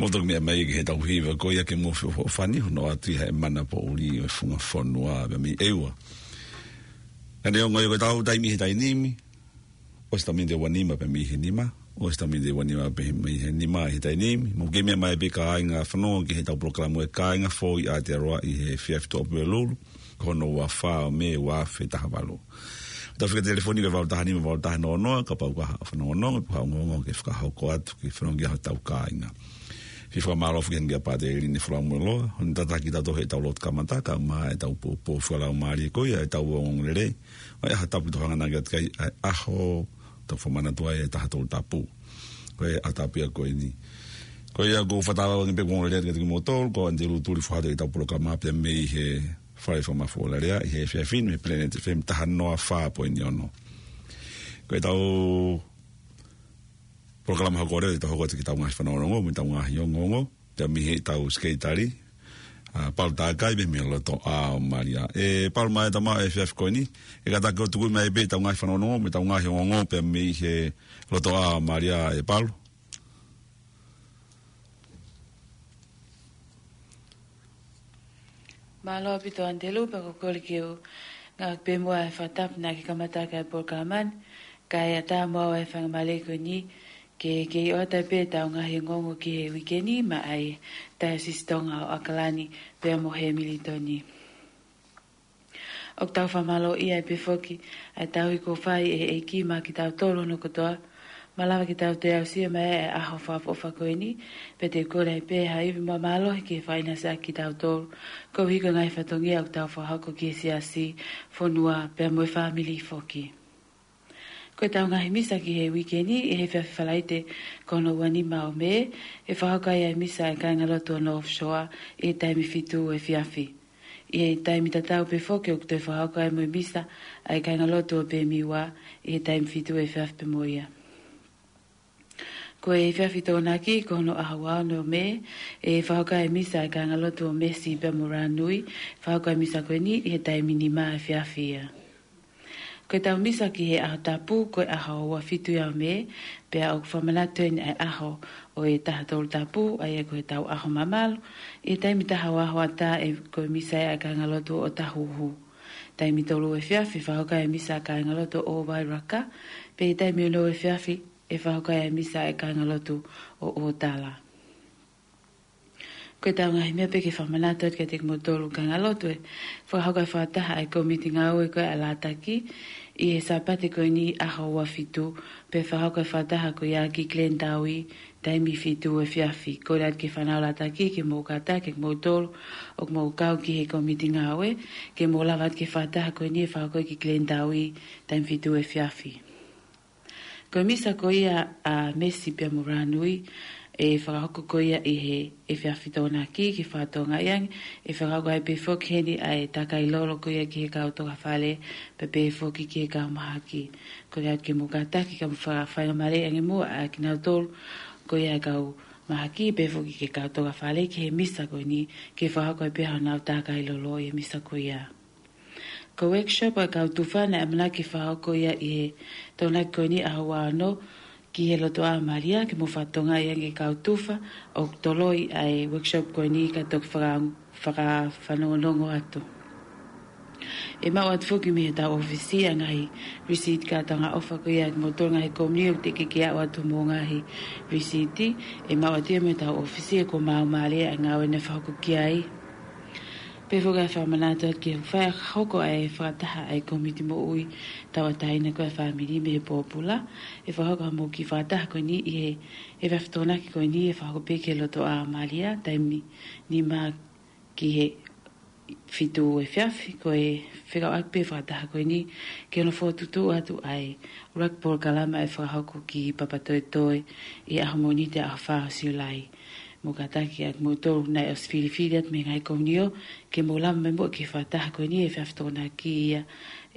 ʻOku toki meʻa mai ki heʻetau hiva ko ia ke mou feʻofoʻofani hono atu ʻi he mana poʻuli ʻo e funga fonua pea mei ʻEua. Ka neongo ia ko ʻetau taimi he taimi ni, ʻosi ʻetau miniti ʻe ua nima pea mei he nima, ʻosi ʻetau miniti ʻe ua nima pea mei he nima he taimi ni, mou kei meʻa mai pē kāinga fanongo ki heʻetau polokalama ʻa e Kāinga Foʻou ʻi Aotearoa ʻi he efiafi Tuʻapulelulu, ko hono ua fā ʻo Mē ua afe taha valu. ʻOku tau fika telefoni ko e valu taha nima valu taha noa noa, kapau ʻoku ʻi ai ha fanongonongo, pe ko ha ongoongo ke fakahoko atu, ke fanongo ki ai hotau kāinga. Fie fakamālō foki heni kia Pātele Line Folamueloa, hono tataki kitautolu heʻetau lotu kamata, kae ʻumaʻā ʻetau poupou fakalaumālie ko ia, ʻetau ongoongolelei, ʻa e ʻaho tapu ʻoku tau hanganaki atu ki ai, ʻa e ʻaho, tau fakamanatu ai e taha tolu tapu. Ko e ʻaho tapu ia ko eni. Ko ia ʻoku ou fakatauange pē ʻoku ou ongoongolelei atu kiate kimoutolu, ko ʻAnitelū Tuli Fohatu ʻi heʻetau polokalama pea mei he Fale Fakamafola Lea ʻi he efiafi ni mei he Planet F M taha noa fā poini ono. Ko ʻetau polokalama hoko leva, ʻetau hoko atu ki heʻetau ngaahi fanongonongo, mo ʻetau ngaahi ongoongo, pea mei heʻetau sekelitali, ʻa Palu Takai pea mei he Lotoʻā ʻo Malia. ʻE Palu, mai ʻetau maʻu e efiafi ko eni, ʻe kātaki ʻo tuku mai pē ʻetau ngaahi fanongonongo, mo ʻetau ngaahi ongoongo, pea mei he Lotoʻā ʻo Malia, ʻe Palu. Mālō ʻaupito ʻAnitelū, pea ko e kole ke u ngāueʻaki pē muʻa e fakatapu naʻa ke kamata ai e polokalama ni, kae ʻatā muʻa ʻa e faingamālie ko eni, ke, ke ʻoatu pē ʻetau ngaahi ongoongo ki he uike ni, maʻa e Taiosisi Tonga ʻo ʻAokalani, pea mo Hemilitoni. ʻOku tau fakamālōʻia ai pē foki, ʻa e tauhi kuo fai ʻe he ʻEiki maʻa kitautolu hono kotoa, malava ke tau toe aʻusia mai e ʻaho fakaʻofoʻofa ko eni, pea te u kole ai pē ha ivi mo e mālohi ke fakaʻinasi ʻaki kitautolu, koeʻuhi ko e ngaahi fatongia ʻoku tau fakahoko ki he siasi, fonua, pea mo e fāmili foki. Ko ʻetau ngaahi misa ki he uike ni, ʻi he efiafi Falaite ko hono ua nima ʻo Mē, ʻe fakahoko ai e misa ʻa e kāingalotu ʻo North Shore, ʻi he taimi fitu efiafi. ʻI he taimi tatau pē foki ʻoku toe fakahoko ai mo e misa ʻa e kāingalotu ʻo Pemiwa, ʻi he taimi fitu efiafi pē mo ia. Ko e efiafi Tokonaki ko hono ʻaho ua ono ʻo Mē, ʻe fakahoko ai e misa ʻa e kāingalotu ʻo Mesi pea mo Ranui, fakahoko ai e misa ko eni ʻi he taimi nima efiafi ia. Ko ʻetau misa ki he ʻaho tapu, ko e ʻaho ua fitu ia ʻo Mē, pea ʻoku fakamanatu heni ʻa e ʻaho ʻo e taha tolu tapu, ʻa ia ko ʻetau ʻaho mamalu, ʻi he taimi taha ua hoʻatā ʻe ko e misa ia ʻa e kāingalotu ʻo Tahuhu. Taimi tolu efiafi fakahoko ai e misa ʻa e kāingalotu ʻo Wairaka, pea ʻi he taimi ono efiafi ʻe fakahoko ai e misa ʻa e kāingalotu ʻo ʻOtala. Ko ʻetau ngaahi meʻa pē ke fakamanatu atu kiate kimoutolu kāingalotu, ʻe fakahoko e fakataha ʻa e kōmiti ngāue ko ia ʻa Lātaki, ʻi he Sāpate ko eni ʻaho ua fitu, pea fakahoko e fakataha ko ia ki Glendowie, taimi fitu efiafi. Kole atu ki he fānau Lātaki ke mou kātaki kimoutolu ʻoku mou kau ki he kōmiti ngāue, ke mou lava atu ki he fakataha ko eni ʻe fakahoko ki Glendowie, taimi fitu efiafi. Ko e misa ko ia ʻa Mesi pea mo Ranui, ʻe fakahoko ko ia ʻi he efiafi Tokonaki ki he fakatokangaʻi ange, ʻe fakahoko ai pē foki heni ʻa e takai lolo ko ia ki he kau tokafale, pea pehē foki ki he kau mahaki. Kole atu ke mou kātaki kae mou fakafaingamālieʻi ange muʻa ʻa kinautolu ko ia e kau mahaki, pehē foki ki he kau tokafale ki he misa ko eni, ke fakahoko ai pē honau takai lolo ʻi he misa ko ia. Ko e workshop ʻa e kau tufa naʻe ʻamanaki ke fakahoko ia ʻi he Tokonaki ko eni ʻaho ua ono ki he Lotoʻā ʻo Malia, ke mou fakatokangaʻi ange ki he kau tufa ʻoku toloi ʻa e workshop ko eni kae toki faka-, fakafanongonongo atu. ʻE maʻu atu foki mei heʻetau ʻōfisi ʻa e ngaahi receipt kātoanga ʻofa ko ia kimoutolu ngaahi kōmiti ʻoku teʻeki ke aʻu atu homou ngaahi receipt, ʻe maʻu atu ia mei heʻetau ʻōfisi he kuo maau mālie ʻa e ngāue naʻe fakahoko ki ai. Pehē foki ʻa e fakamanatu atu ki he fai hoko ʻa e fakataha ʻa e kōmiti moʻui tauʻatāina ko ia ʻa e fāmili mei he pōpula, ʻe fakahoko hoʻomou kiʻi fakataha ko eni ʻi he, he efiafi Tokonaki ko eni ʻe fakahoko pē ki he Lotoʻā ʻo Malia, taimi nima ki he fitu efiafi. Ko e fekauʻaki pē fakataha ko eni ki hono fokotuʻutuʻu atu ʻa e ʻuluaki polokalama ʻe fakahoko ki Papatoetoe ʻi he ʻaho Mōnite ʻaho fā ʻo Siulai. Mou kātaki atu kimoutolu naʻe ʻosi filifili atu mei he ngaahi kōmiti ke mou lava mai muʻa ki he fakataha ko eni he efiafi Tokonaki ia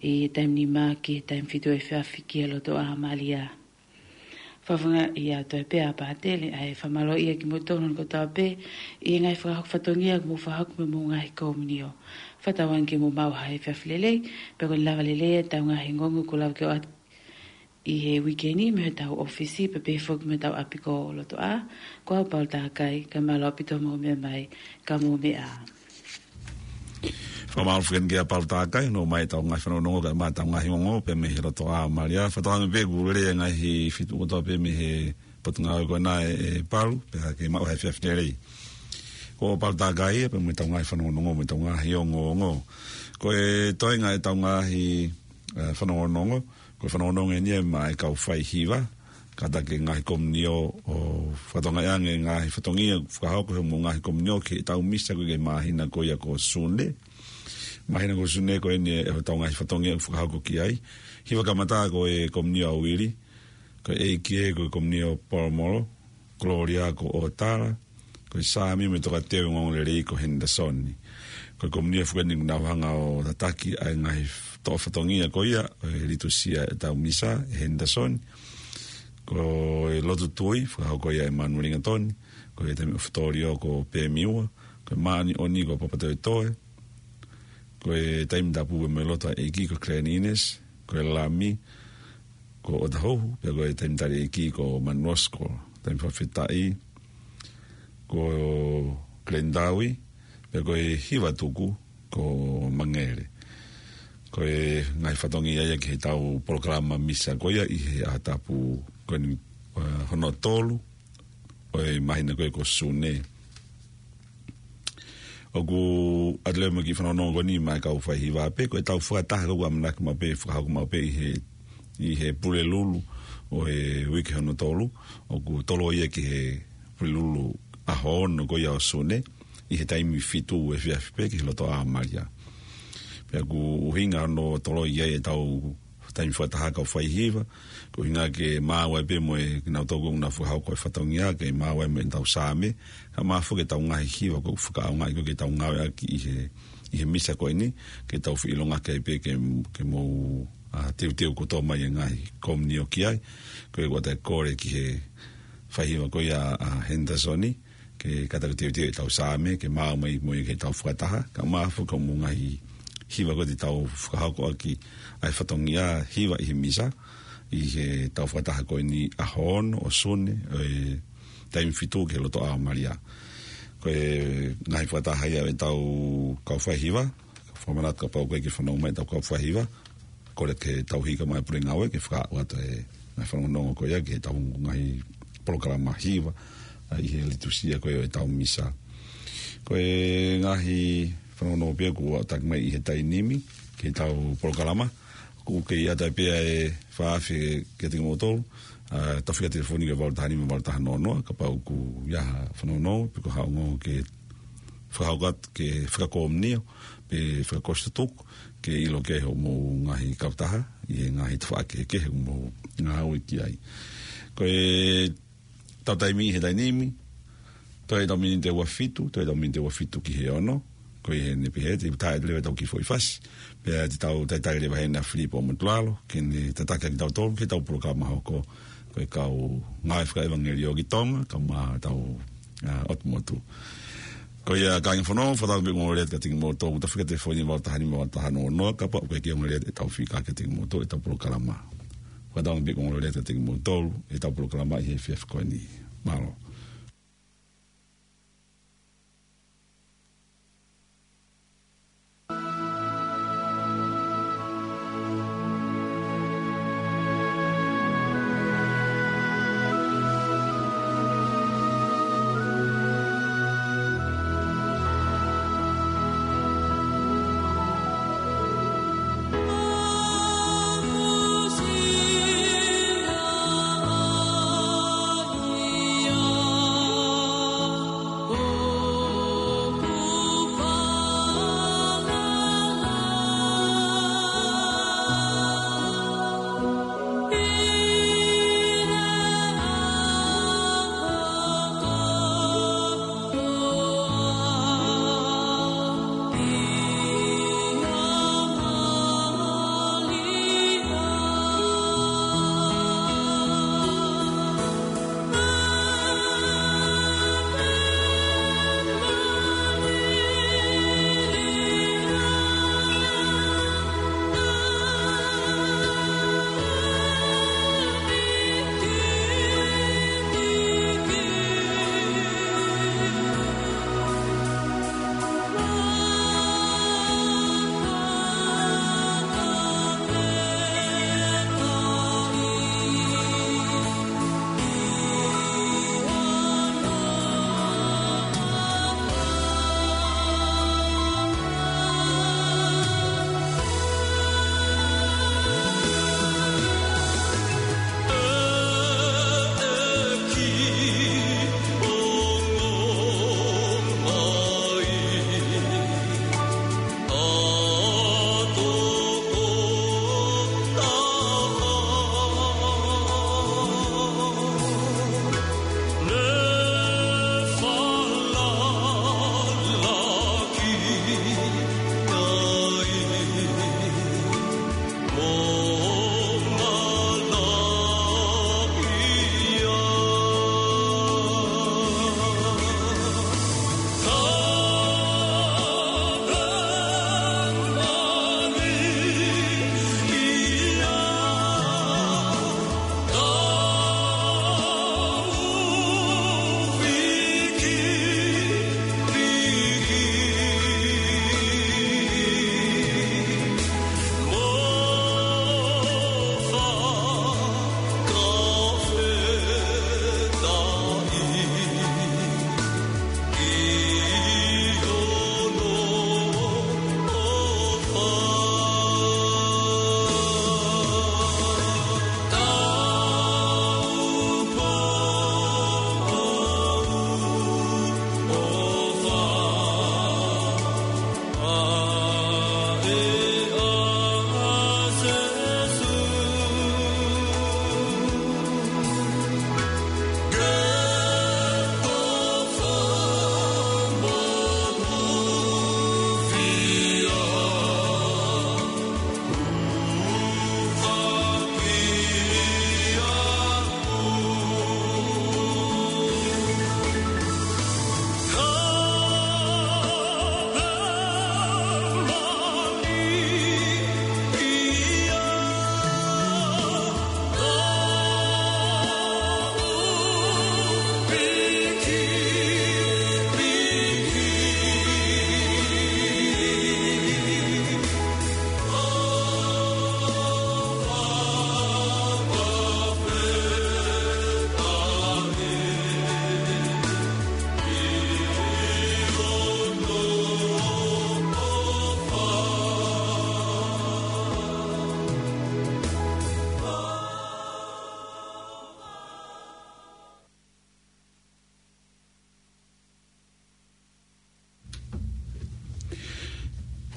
ʻi he taimi nima ki he taimi fitu efiafi ki he Lotoʻā ʻo Malia. Fakafofongaʻi atu ai pē ʻa Pātele, ʻa e fakamālōʻia kimoutolu hono kotoa pē ʻi he ngaahi fakahoko fatongia kuo mou fakahoko mei hoʻomou ngaahi kōmiti. Fakatauange ke mou maʻu ha efiafi lelei, pea ko e lava lelei ʻetau ngaahi ongoongo kuo lava ke ʻoatu ʻi he uike ni mei hotau ʻōfisi, pea pehē foki mei hotau ʻapi ko Lotoʻā, ko au Paula Takai, kae mālō ʻaupito hoʻomou meʻa mai, ka mou meʻa ā. Fakamālō foki kia Paula Takai, ʻomai ʻetau ngaahi fanongonongo kae ʻumaʻā ʻetau ngaahi ongo, pea mei he Lotoʻā Malia, fakatauange pē kuo lelei e ngaahi feituʻu kotoa pē mei he Potungāue ko ena ē, ē Paula, pea ke maʻu ha efiafi lelei. Ko Paula Takai ia, pea mo ʻetau ngaahi fanongonongo, mo ʻetau ngaahi ongoongo. Ko e toenga ʻetau ngaahi, ē, fanongonongo, ko e fanongonongo eni ia maʻa e kau faihiva, kātaki e ngaahi komiunio ʻo fakatokangaʻi ange e ngaahi fatongia ʻoku fakahoko ʻi hoʻomou ngaahi komiunio ki heʻetau misa ko ē ki he māhina ko ia ko Sune. Māhina ko Sune ko eni ē hotau ngaahi fatongia ʻoku fakahoko ki ai. Hiva kamata ko e komiunio ʻa Uili, ko e ʻEiki ē ko e komiunio ʻo Polomolo, Kolōlia ko ʻOtala, ko e Saame mo e tokateu ongoongolelei ko Henderson. Ko e komiunio foki eni ʻoku nau hanga ʻo tataki ʻa e ngaahi f-, toʻo fatongia ko ia ʻo e litusia ʻetau misa ʻe Henderson. Ko e lotu tui, fakahoko ia ʻe Manueli Gatoni, ko e taimi ʻofutolio ko Pemiua, ko e māʻoniʻoni ko Papatoetoe, ko e taimi tapu mo e lotu ʻa e ʻEiki ko Glenn Innes, ko e lami ko ʻOtahuhu, pea ko e taimi tali ʻEiki ko Manuosko, taimi fakafetaʻi ko Glenn Taui, pea ko e hiva tuku ko Mangele. Ko e ngaahi fatongia ia ki heʻetau polokalama misa ko ia ʻi he ʻaho tapu ko eni, ē, hono tolu ʻo e māhina ko ē ko Sune. ʻOku ʻoatu leva mo e kiʻi fanongonongo ko eni maʻa e kau faihiva pē, ko ʻetau fakataha ko ē ʻoku ʻamanaki maʻu pē, fakahoko maʻu pē ʻi he, ʻi he Pulelulu ʻo e uike hono tolu, ʻoku toloi ia ki he Pulelulu ʻaho ono ko ia ʻo Sune, ʻi he taimi fitu efiafi pē ki he Lotoʻā Malia. Pea ʻoku ʻuhinga hono toloi ia ʻetau taimi fakataha kau faihiva, ko e ʻuhinga ke maau ai pē mo e kinautolu ʻoku nau fakahoko e fatongia, ke maau ai mo ʻetau Saame, kae ʻumaʻā foki ʻetau ngaahi hiva ʻoku fakaʻaongaʻi ko ē ke tau ngāueʻaki ʻi he, ʻi he misa ko eni, ke tau feʻilongaki ai pē ke, ke mou, ā, teuteu kotoa mai e ngaahi komiunio ki ai, ko e ʻoku ʻoatu e kole ki he faihiva ko ia ʻa Henderson, ke kātaki teuteu ʻetau Saame, ke maau mai mo ia ki heʻetau fakataha, kae ʻumaʻā foki hoʻomou ngaahi hiva ko ē te tau fakahoko ʻaki ʻa e fatongia hiva ʻi he misa, ʻi heʻetau fakataha ko eni ʻaho ono ʻo Sune, ʻo e taimi fitu ki he Lotoʻā Malia. Ko e ngaahi fakataha ia ʻetau kau faihiva, fakamanatu kapau ko e kiʻi fanongo mai ʻetau kau faihiva, kole ke tau hika mai pule ngāue ke fakaaʻu atu e ngaahi fanongonongo ko ia ki heʻetau ngaahi polokalama hiva, ā, ʻi he litusia ko ia ʻetau misa. Ko e ngaahi fanongonongo pē ʻoku ʻoatu mai ʻi he taimi ni ki heʻetau polokalama, ʻoku kei ʻi ai pē ʻa e fā afe kiate kimoutolu, ā, tafaʻaki telefoni ki he valu taha nima valu taha noa noa, kapau ʻoku ʻi ai ha fanongonongo, pe ko ha ongo ke fakahoko atu ke fakakomiunio, pe fakakosi tutuku, ke ʻilo ki ai hoʻomou ngaahi kautaha, ʻi he ngaahi tafaʻaki kehekehe ʻoku mou ngāue ki ai. Ko ʻetau taimi he taimi ni, toe ʻetau miniti ʻe ua fitu, toe ʻetau miniti ʻe ua fitu ki he ono, ko ia eni pē he te u tā atu leva ʻetau kiʻi foʻi fasi, pea te tau talitali leva heni ʻa Filipo Motulalo, ke ne tataki kitautolu, ki heʻetau polokalama hoko, ko e kau ngāue fakaʻevangeliō ki Tonga, kae ʻumaʻā ʻetau, ā, ʻotu motu. Ko ia kāinga fanongo, fakatauange pē ʻoku ongoongolelei atu kiate kimoutolu, tafaʻaki telefoni valu taha nima valu taha noa noa, kapau ʻoku ʻikai ke ongoongolelei atu ʻetau fika kiate kimoutolu, ʻetau polokalama. Fakatauange pē ʻoku ongoongolelei atu kiate kimoutolu, ʻetau polokalama ʻi he efiafi ko eni. Mālō.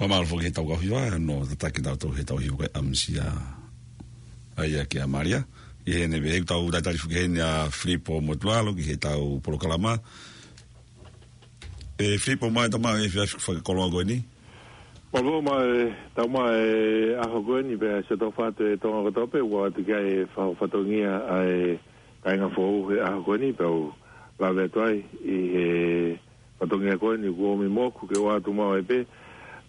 Mālō foki he tau kau hiva, no tataki tau tau he tau hiva ko e ʻamusia. ʻA ia kia Malia. ʻI heʻene vehe tau tatali foki heni ʻa Filipo Motualo ki he tau polokalama. ʻE Filipo mai tama e fiafi fakakoloa ko eni. Mālō mai, tau mai e ʻaho ko eni pea se tau fatu e Tonga kotoa pē ua atu ki ai e fa-, fatongia ʻa e kāinga foʻou he ʻaho ko eni pea u lave atu ai ʻi he fatongia ko eni kuo ʻomi moku ke ua atu mau ai pē.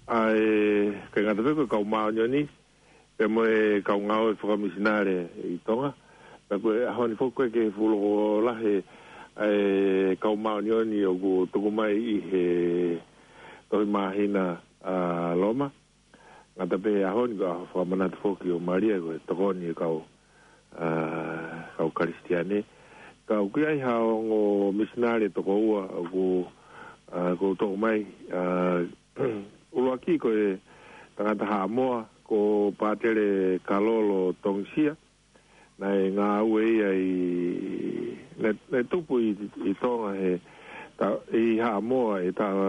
ʻA e kāinga tape ko e kau māʻoniʻoni, pea mo e kau ngāue fakamisinale ʻi Tonga. Pea ko e ʻaho ni foki ko e ke fuʻu loko lahi e kau māʻoniʻoni ʻoku tuku mai ʻi he tohi māhina ʻa Loma. Ngata pē he ʻaho ni ko e ʻaho fakamanatu foki ʻo Malia ko e tokoni e kau, ʻa, kau Kalisitiane. Ka ʻoku ʻi ai ha ongo misinale toko ua ʻoku, ʻa, ʻoku toko mai, ʻa, ʻuluaki ko e tangata Haʻamoa, ko Pātele Kalolo Tongisia, naʻe ngāue ia ʻi, naʻe, naʻe tupu ʻi, ʻi Tonga he ta-, ʻi Haʻamoa ʻi he taʻu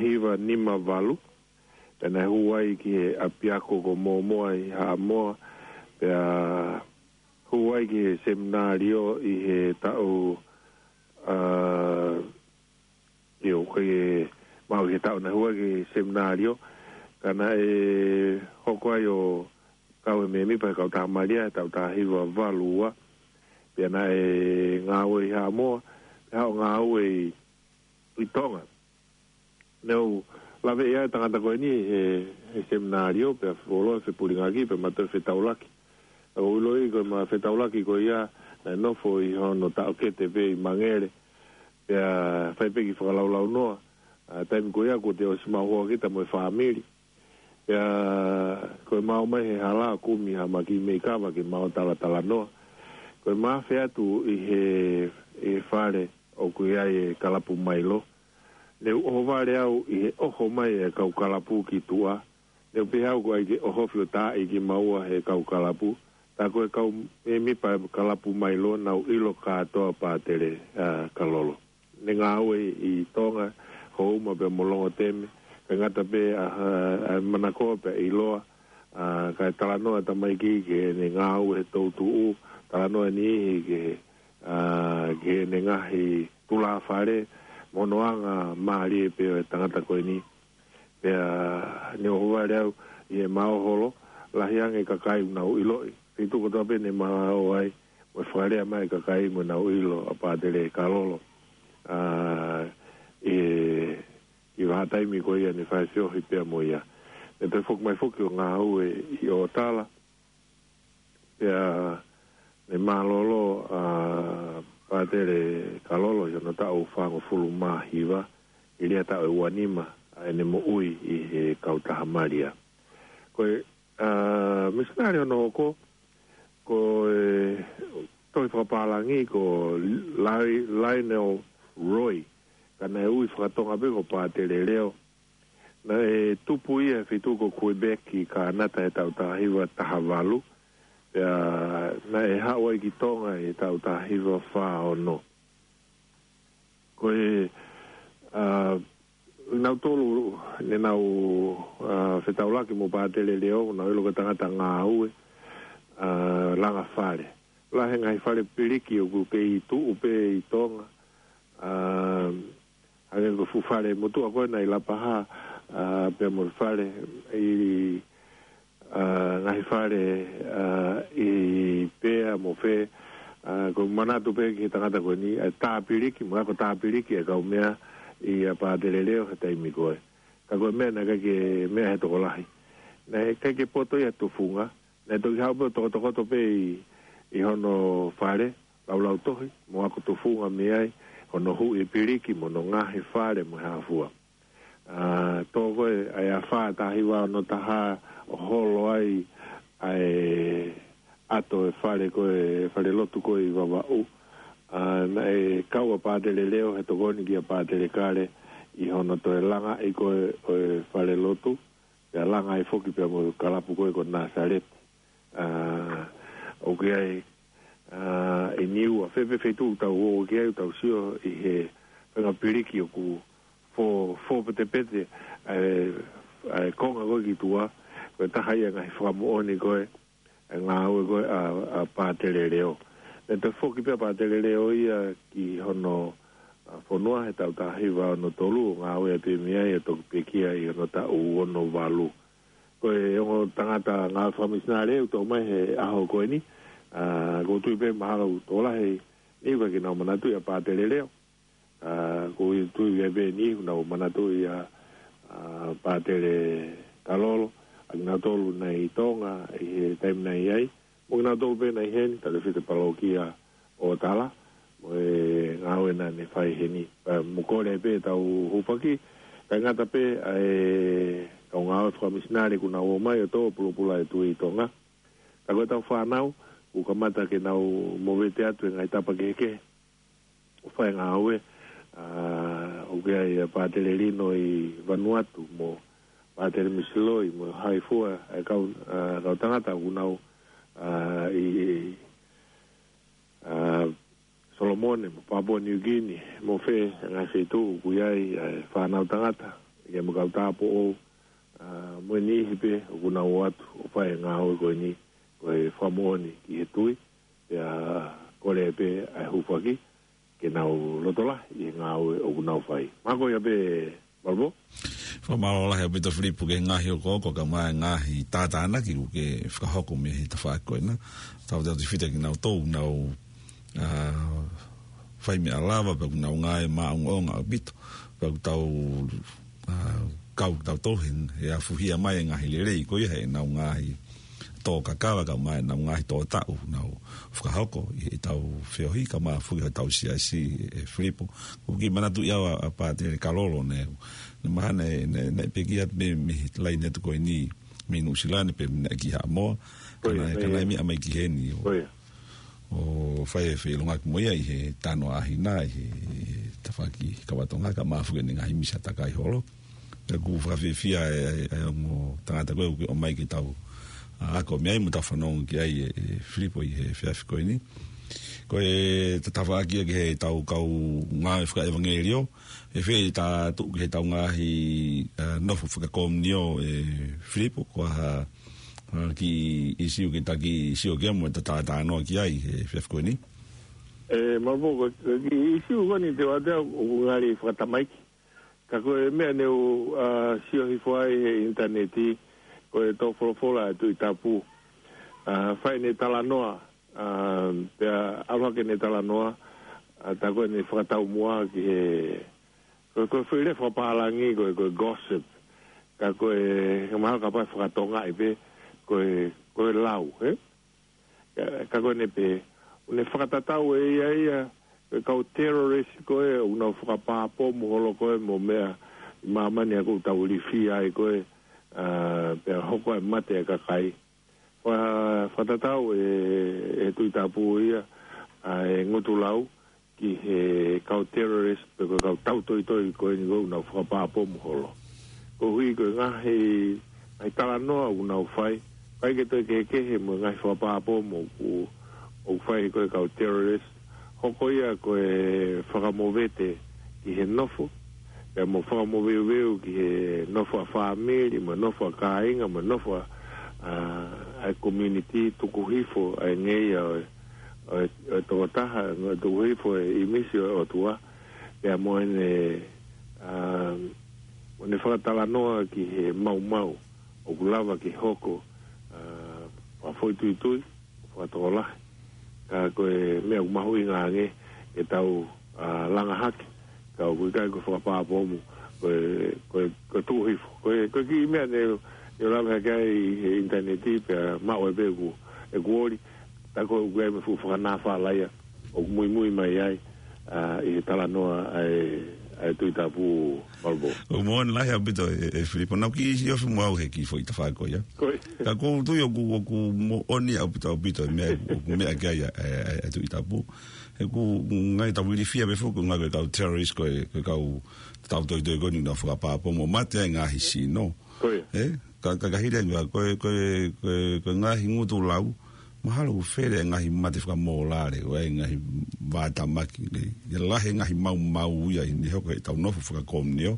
hiva nima valu, pea naʻe hū ai ki he ʻapiako ko Mōmoa ʻi Haʻamoa, pea hū ai ki he seminalio ʻi he taʻu, ʻa, ʻio, ko e maʻu he taʻu naʻe hū ai ki he seminalio, ka naʻe hoko ai ʻo kau he mēmipa he kau Taha Malia he taʻu taha hiva valu ua, pea naʻe ngāue ʻi Haʻamoa, pea haʻu ʻo ngāue ʻi, ʻi Tonga. Naʻa ku lave ʻia e tangata ko eni he, he seminalio, pea fuoloa fepulingaki, pea ma toe fetaulaki. Ka ʻoku ou ʻiloʻi ko e ma fetaulaki ko ia, naʻe nofo ʻi hono taʻokete pē ʻi Mangere, pea fai pē ki fakalaulaunoa, ʻa, taimi ko ia kuo te ʻosi maʻu hoa kita mo e fāmili. Pea ko e ma ō mai he hala kumi ha maki meʻi kava ke ma ō talatalanoa. Ko e ma afe atu ʻi he, ʻi he fale ʻoku ʻi ai e kalapu Mailo. Ne u ʻohovale au ʻi he ʻoho mai e kau kalapu ki tuʻa. Ne u pehē au ko ai ke ʻohofi ʻo taaʻi kimaua he kau kalapu. Tā ko e kau mēmipa kalapu Mailo naʻa ku ʻilo kātoa Pātele, ʻa, Kalolo. Ne ngāue ʻi Tonga, Houma pea mo Longoteme, kae ngata pē ʻa, ʻa, ʻa Manakoa pea ʻiloa, ʻa, kae talanoa tamaiki ki heʻene ngāue he toutuʻu, talanoa e niʻihi ki he, ʻa, ki heʻene ngaahi tulāfale, mo hono anga mālie pē ʻo e tangata ko eni. Pea ne u ʻohovale au ʻi he maoholo, lahi ange kakai naʻa ku ʻiloʻi. Feituʻu kotoa pē ne ma ō ai, mo e fakalea mai kakai mo naʻa ku ʻilo ʻa Pātele Kalolo. ʻA, ʻi he, ʻi he vahaʻa taimi ko ia ne fai feohi pea mo ia. Ne toe foki mai foki ʻo ngāue ʻi ʻOtala. Pea ne mālōlō ʻa Pātele Kalolo ʻi hono taʻu fāngofulu mā hiva, ʻi he lea taʻu ʻe ua nima ʻa ʻene moʻui ʻi he kau Taha Malia. Ko e, ʻa, misinale hono hoko, ko e tohi fakapālangi ko Li-, Lionel Roy, ka naʻe ui fakatonga pē ko Pātele Leo. Naʻe tupu ia he feituʻu ko Quebec ʻi Kānata he taʻu taha hiva taha valu. Pea naʻe haʻu ai ki Tonga he taʻu taha hiva fā ono. Ko e, ʻa, nautolu, ne nau, ʻa, fetaulaki mo Pātele Leo, naʻa ku ʻilo ko e tangata ngāue, ʻa, langa fale. Lahi e ngaahi fale piliki ʻoku kei tuʻu pē ʻi Tonga, ʻa, hangē ko e fuʻu fale motuʻa ko ē naʻe ʻi Lapaha, ʻa, pea mo e fale ʻi, ʻa, ngaahi fale, ʻa, ʻi Pea mo Fē, ʻa, ko e manatu pē ki he tangata ko eni, ʻa, tā piliki, mo e ako tā piliki e kau meʻa ʻia Pātele Leo he taimi ko ē. Ka ko e meʻa naʻe ʻikai ke meʻa he tokolahi. Naʻe ʻikai ke poto ia tufunga, naʻe toki haʻu pē ʻo tokotokoto pē ʻi, ʻi hono fale, laulau tohi, mo ako tufunga mei ai, hono huʻi piliki, mo hono ngaohi fale, mo e hā fua. ʻA, tō ko ē, ʻa e afā taha hiva ono taha, ʻo holo ai, ʻa e ʻato e fale ko ē, fale lotu ko ē ʻi Vavaʻu. ʻA, naʻe kau ʻa Pātele Leo he tokoni kia Pātele Kale, ʻi hono toe langaʻi ko ē, ʻo e fale lotu, pea langa ai foki pea mo e kalapu ko ē ko Nāsaleti. ʻA, ʻoku ʻi ai, ʻa, ʻi Niua, fē pē feituʻu tau ō ki ai, tau sio ʻi he faʻahinga piliki ʻoku fō, fō petepete, ʻa e, ʻa e konga ko ē ki tuʻa, ko e taha ia e ngaahi fakamoʻoni ko ē, ʻa e ngāue ko ē ʻa, ʻa Pātele Leo. Naʻe toe foki pē ʻa Pātele Leo ia ki hono, ʻa, fonua he taʻu taha hiva ono tolu, ʻo ngāue pē mei ai ʻo toki pekia ʻi hono taʻu ono valu. Ko e ongo tangata ngāue fakamisinale ʻoku tō mai he ʻaho ko eni, ʻa, ʻoku ou tui pē mahalo ʻoku tokolahi ʻi he ʻikai ke nau manatuʻi ʻa Pātele Leo. ʻA, ʻoku ou tui pē ʻoku nau manatuʻi ʻa, ʻa Pātele Kalolo, ʻa kinautolu naʻe ʻi Tonga ʻi he taimi naʻe ʻi ai, mo kinautolu pē naʻe ʻi heni, Talafita Palokia ʻo Tala, mo e ngāue naʻa ne fai heni. ʻA, mo kole pē ʻetau hūfaki, kae ngata pē ʻa e kau ngāue fakamisinale kuo nau ō mai ʻo tō pulopula e tui ʻi Tonga. Ka ko ʻetau fānau, kuo kamata ke nau movete atu he ngaahi tapa kehekehe ʻo fai e ngāue, ʻa, ʻoku ʻi ai ʻa Pātele Lino ʻi Vanuatu mo Pātele Misiloi mo hai fua e kau, ʻa, kau tangata ʻoku nau, ʻa, ʻi, ʻa, Solomone mo Papua New Guinea mo fē ngaahi feituʻu ʻoku ʻi ai ʻa e fānau tangata, ʻi ai mo e kau tāupoʻou, ʻa, mo e niʻihi pē ʻoku nau ō atu ʻo fai e ngāue ko eni, ko e fakamoʻoni ki he tui, pea kole pē ʻa e hūfaki ke nau loto lahi ʻi he ngāue ʻoku nau fai. Mahalo ko ia pē, Malvo. Fakamālō lahi ʻaupito Filipo ki he ngaahi hokohoko kae ʻumaʻā e ngaahi tātānaki ʻoku ke fakahoko mei he tafaʻaki ko ena. Tautautefito kinautolu ʻoku nau, ʻa, fai meʻa lava, pea ʻoku nau ngāue maʻongoʻonga ʻaupito. Pea ʻoku tau, ʻa, kau kitautolu he, he afuhia mai e ngaahi lelei ko ia heʻenau ngaahi tō kakava kae ʻumaʻā ʻenau ngaahi tō taʻu ʻoku nau fakahoko ʻi heʻetau feohi kae ʻumaʻā foki hotau siasi, ʻe Filipo. ʻOku ou kiʻi manatuʻi au ʻa, ʻa Pātele Kalolo, naʻe, naʻe mahalo naʻe, naʻe, naʻe pekia mei, mei he laine atu ko eni mei Nuʻusila ni pe naʻe ki Haʻamoa. Ko ia, ka naʻe, ko ia, ka naʻe meʻa mai ki heni ʻo, ko ia, ʻo fai e feʻilongaki mo ia ʻi he Tanoa ʻAhina, ʻi he, ʻi he tafaʻaki kava Tonga kae ʻumaʻā foki ʻene ngaahi misa takai holo. Pea ʻoku fakafiefia e, e, e ongo tangata ko ē ʻoku ke ʻomai ke tau, ʻa, ako mei ai mo tau fanongo ki ai, ʻe, ʻe Filipo, ʻi he efiafi ko eni. Ko e tafaʻaki ia ki heʻetau kau ngāue fakaʻevangeliō, ʻe fēfē ʻetau tuʻu ki heʻetau ngaahi, ʻa, nofo fakakomiunio, ʻe Filipo, ko e hā, ʻa, kiʻi ʻīsiu ke ta kiʻi sio ki ai mo ta talanoa ki ai he efiafi ko eni? ʻE, Malvo, ko e kiʻi ʻīsiu ko eni te u ʻoatu ʻoku ngali fakatamaiki. Ka ko e meʻa ne u, ʻa, sio hifo ai he ʻinitaneti, ko e tō folofola ʻa e Tuʻi Tapu. ʻA, fai ʻene talanoa, ʻa, pea ʻalu hake ʻene talanoa, ʻa, tā ko ʻene fakataumuʻa ki he, ko, ko e foʻi lea fakapālangi, ko, ko e gossip. Ka ko e, he mahalo kapau ʻe fakatongaʻi pē, ko e, ko e lau, ē? Ka, ka ko ʻene pehē, ʻoku ne fakatatau ʻe ia ia, ko e kau terrorist ko ē, ʻoku nau fakapā pomu holo ko ē mo meʻa ʻi māmani ʻoku tau ilifia ai ko ē, ʻa, pea hoko ai e mate e kakai. Fa-, fakatatau ʻe, ʻe Tuʻi Tapu ia, ʻa, e ngutu lau ki he kau terrorist pe ko e kau tautoitoi ko eni ʻoku nau fakapā pomu holo. Koeʻuhi ko e ngaahi, ngaahi talanoa ʻoku nau fai, ʻikai ke toe kehekehe mo e ngaahi fakapā pomu ʻoku, ʻoku fai ko e kau terrorist, hoko ia ko e fakamovete ki he nofo, pea mo fakamoveuveu ki he nofo ʻa fāmili, mo e nofo ʻa kāinga, mo e nofo ʻa, ʻa, ʻa e community, tuku hifo ʻa e ngeia ʻo e, ʻo e, ʻo e tokotaha, tuku hifo e ʻīmisi ʻo e ʻOtua, pea mo ʻene, ʻa, mo ʻene fakatalanoa ki he maumau ʻoku lava ke hoko, ʻa, fakafoʻituitui, fakatokolahi. Ka ko e meʻa ʻoku mahuʻinga ange ke tau, ʻa, langa hake, ka ʻoku ʻikai ko e fakapā pomu, ko e, ko e, ko e tuku hifo. Ko e, ko e kiʻi meʻa ne, ne u lave hake ai ʻi he ʻinitaneti pea maʻu ai pē ʻeku, ʻeku oli, tā ko ē ʻoku ʻi ai mo e fuʻu fakanāfalaia ʻoku muimui mai ai, ʻa, ʻi he talanoa ʻa e, ʻa e Tuʻi Tapu, Malvo. ʻOku moʻoni lahi ʻaupito ʻe, ʻe Filipo. Naʻá ku kiʻi ʻosi mo au he kiʻi foʻi tafaʻaki ko ia. Ko ia. Ka ʻoku ou tui ʻoku, ʻoku moʻoni ʻaupito, ʻaupito e meʻa, ʻoku meʻa ki ai ʻa e, ʻa e, ʻa e Tuʻi Tapu. He ʻoku ngali tau ilifia pē foki, ʻoku ngali ko e kau terrorist ko e, ko e kau tautoitoi ko eni ʻoku nau fakapā pomu ʻo mate ai e ngaahi sino. Ko ia. Ē? Ka, ka, ka hili ange, ko e, ko e, ko e, ko e ngaahi ngutu lau, mahalo ʻoku fele e ngaahi mate fakamōlale, ʻo e ngaahi vātamaki, ʻe, ʻe lahi e ngaahi maumau ia ʻi he hoko ʻetau nofo fakakomiunio,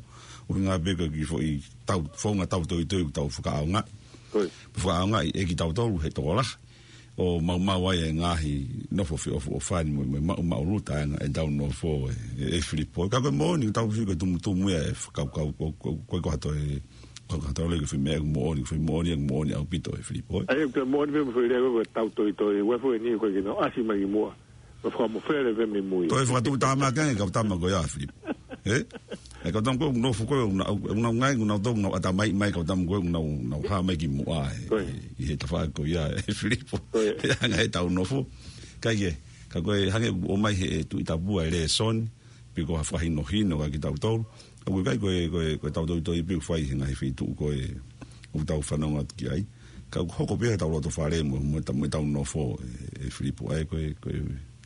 ʻUhinga pē ko e kiʻi foʻi tau, founga tautoitoi ʻoku tau fakaʻaongaʻi. Ko e. Fakaʻaongaʻi ʻe kitautolu he tokolahi. ʻO maumau ai e ngaahi nofo feʻofoʻofani mo, mo maʻu, maʻuluta ʻa e ngaahi ʻetau nofo ē, ē, ē Filipo. Ka ko e moʻoni, tau sio ko e tumutumu ia e fakakaukau, ko, ko, ko, ko ha toe, ko, ko ha toe lele ko e foʻi meʻa ʻoku moʻoni, foʻi moʻoni, ʻoku moʻoni ʻaupito ē Filipo. ʻAi, ko e moʻoni pē mo e foʻi lea ko e tautoitoi, ua foʻi ni ko e kino, ʻasi mai ki muʻa. Ko e fakamofele pē mei mui. Toe fakatuʻutāmaki ange, kau tama ko ia Filipo. Ē? ʻE kau tama ko e nofo ko e una, una ngai, una tau, una ata mai, mai kau tama ko e una, una ha mai ki muʻa ē. Ko e. ʻI he tafaʻaki ko ia ē Filipo. Ko e. ʻE anga ʻetau nofo. Ka ʻi he, ka ko e hangē ʻoku ʻomai he Tuʻi Tapu ʻa e lēsoni, pe ko ha fakahinohino kia kitautolu. ʻOku ʻikai ko e, ko e, ko e tautoitoi pē ʻoku fai he ngaahi feituʻu ko ē ʻoku tau fanongo atu ki ai. Ka ʻoku hoko pē ʻi heʻetau loto fale mo, mo ʻeta-, mo ʻetau nofo ē, ē Filipo ē, ko e, ko e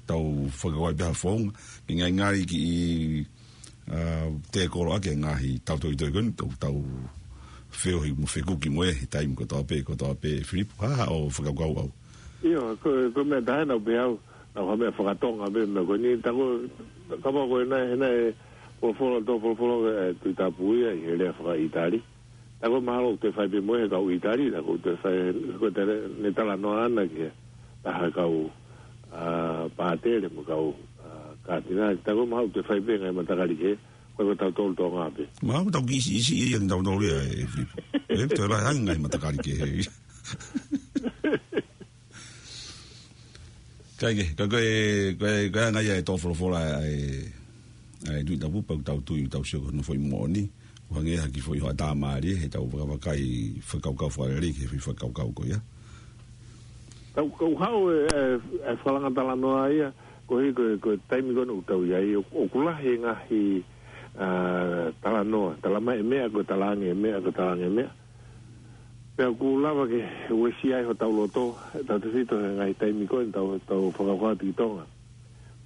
tau fakakaukau pē ha founga, ke ngalingali kiʻi, ā, tēkolo ʻaki e ngaahi tautoitoi ko eni, tau, tau feohi mo fekuki mo ē, he taimi kotoa pē, kotoa pē, Filipo, ha, ha ʻo fakakaukau au. ʻIo, ko, ko e meʻa taha naʻa ku pehē au, naʻa ku ha meʻa fakatonga pē, meʻa ko eni, tā ko, kapau ko e naʻe, he naʻe, folofola, tō folofola, ē, Tuʻi Tapu ia, ʻi he lea fakaʻItali. Tā ko e mahalo ʻoku toe fai pē mo e he kau ʻItali, tā ko e toe fai, ko e tele, ne talanoa ʻana ki he, taha kau, ā, pātele mo e kau, ā, kātinali. Tā ko e mahalo ʻoku toe fai pē ngaahi matakali kehe, ko e ko tautolu Tonga pē. Mahalo ʻoku tau kiʻi siʻisiʻi ia kia tautolu ia ē Filipo. Ē, toe lahi ange ngaahi matakali kehe. Ka ʻi he, ka ko e, ko e, ko e anga ia e tō folofola ʻa e, ʻa e Tuʻi Tapu pea ʻoku tau tui, tau sio ko hono foʻi moʻoni. ʻO hangē ha kiʻi foʻi hoʻatā mālie, heʻetau vakavakai fakakaukau fakalelei, ki he foʻi fakakaukau ko ia. Tau, kau haʻu e, e, e fakalanga talanoa ia, koeʻuhi ko e, ko e taimi ko eni ʻoku tau ʻi ai, ʻo, ʻoku lahi e ngaahi, ā, talanoa, tala mai e meʻa, ko e talaange e meʻa, ko e talaange e meʻa. Pea ʻoku lava ke uesia ai hotau loto, tautefito he ngaahi taimi ko eni tau, tau fakakaukau atu ki Tonga.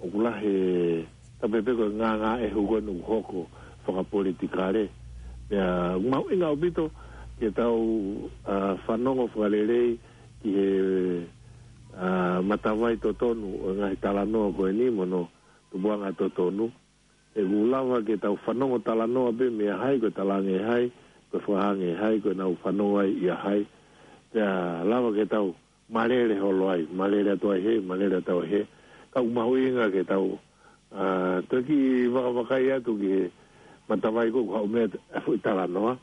ʻOku lahi e, tā pē pē ko e ngāngāʻehu ko eni ʻoku hoko fakapolitikale. Pea, ʻoku mahuʻinga ʻaupito, ke tau, ā, fanongo fakalelei, ki he, ā, matavai totonu, ʻo e ngaahi talanoa ko eni mo hono, tupuʻanga totonu. ʻOku lava ke tau fanongo talanoa pē meia hai, ko e talaange ʻe hai, ko e fakahanga ʻe hai, ko ʻenau fanongo ai ʻia hai. Pea lava ke tau malele holo ai, malele atu ai hē, malele atu ai hē. Ka ʻoku mahuʻinga ke tau, ā, toki vakavakai atu ki he matavai ko ē ʻoku haʻu mei ai e foʻi talanoa.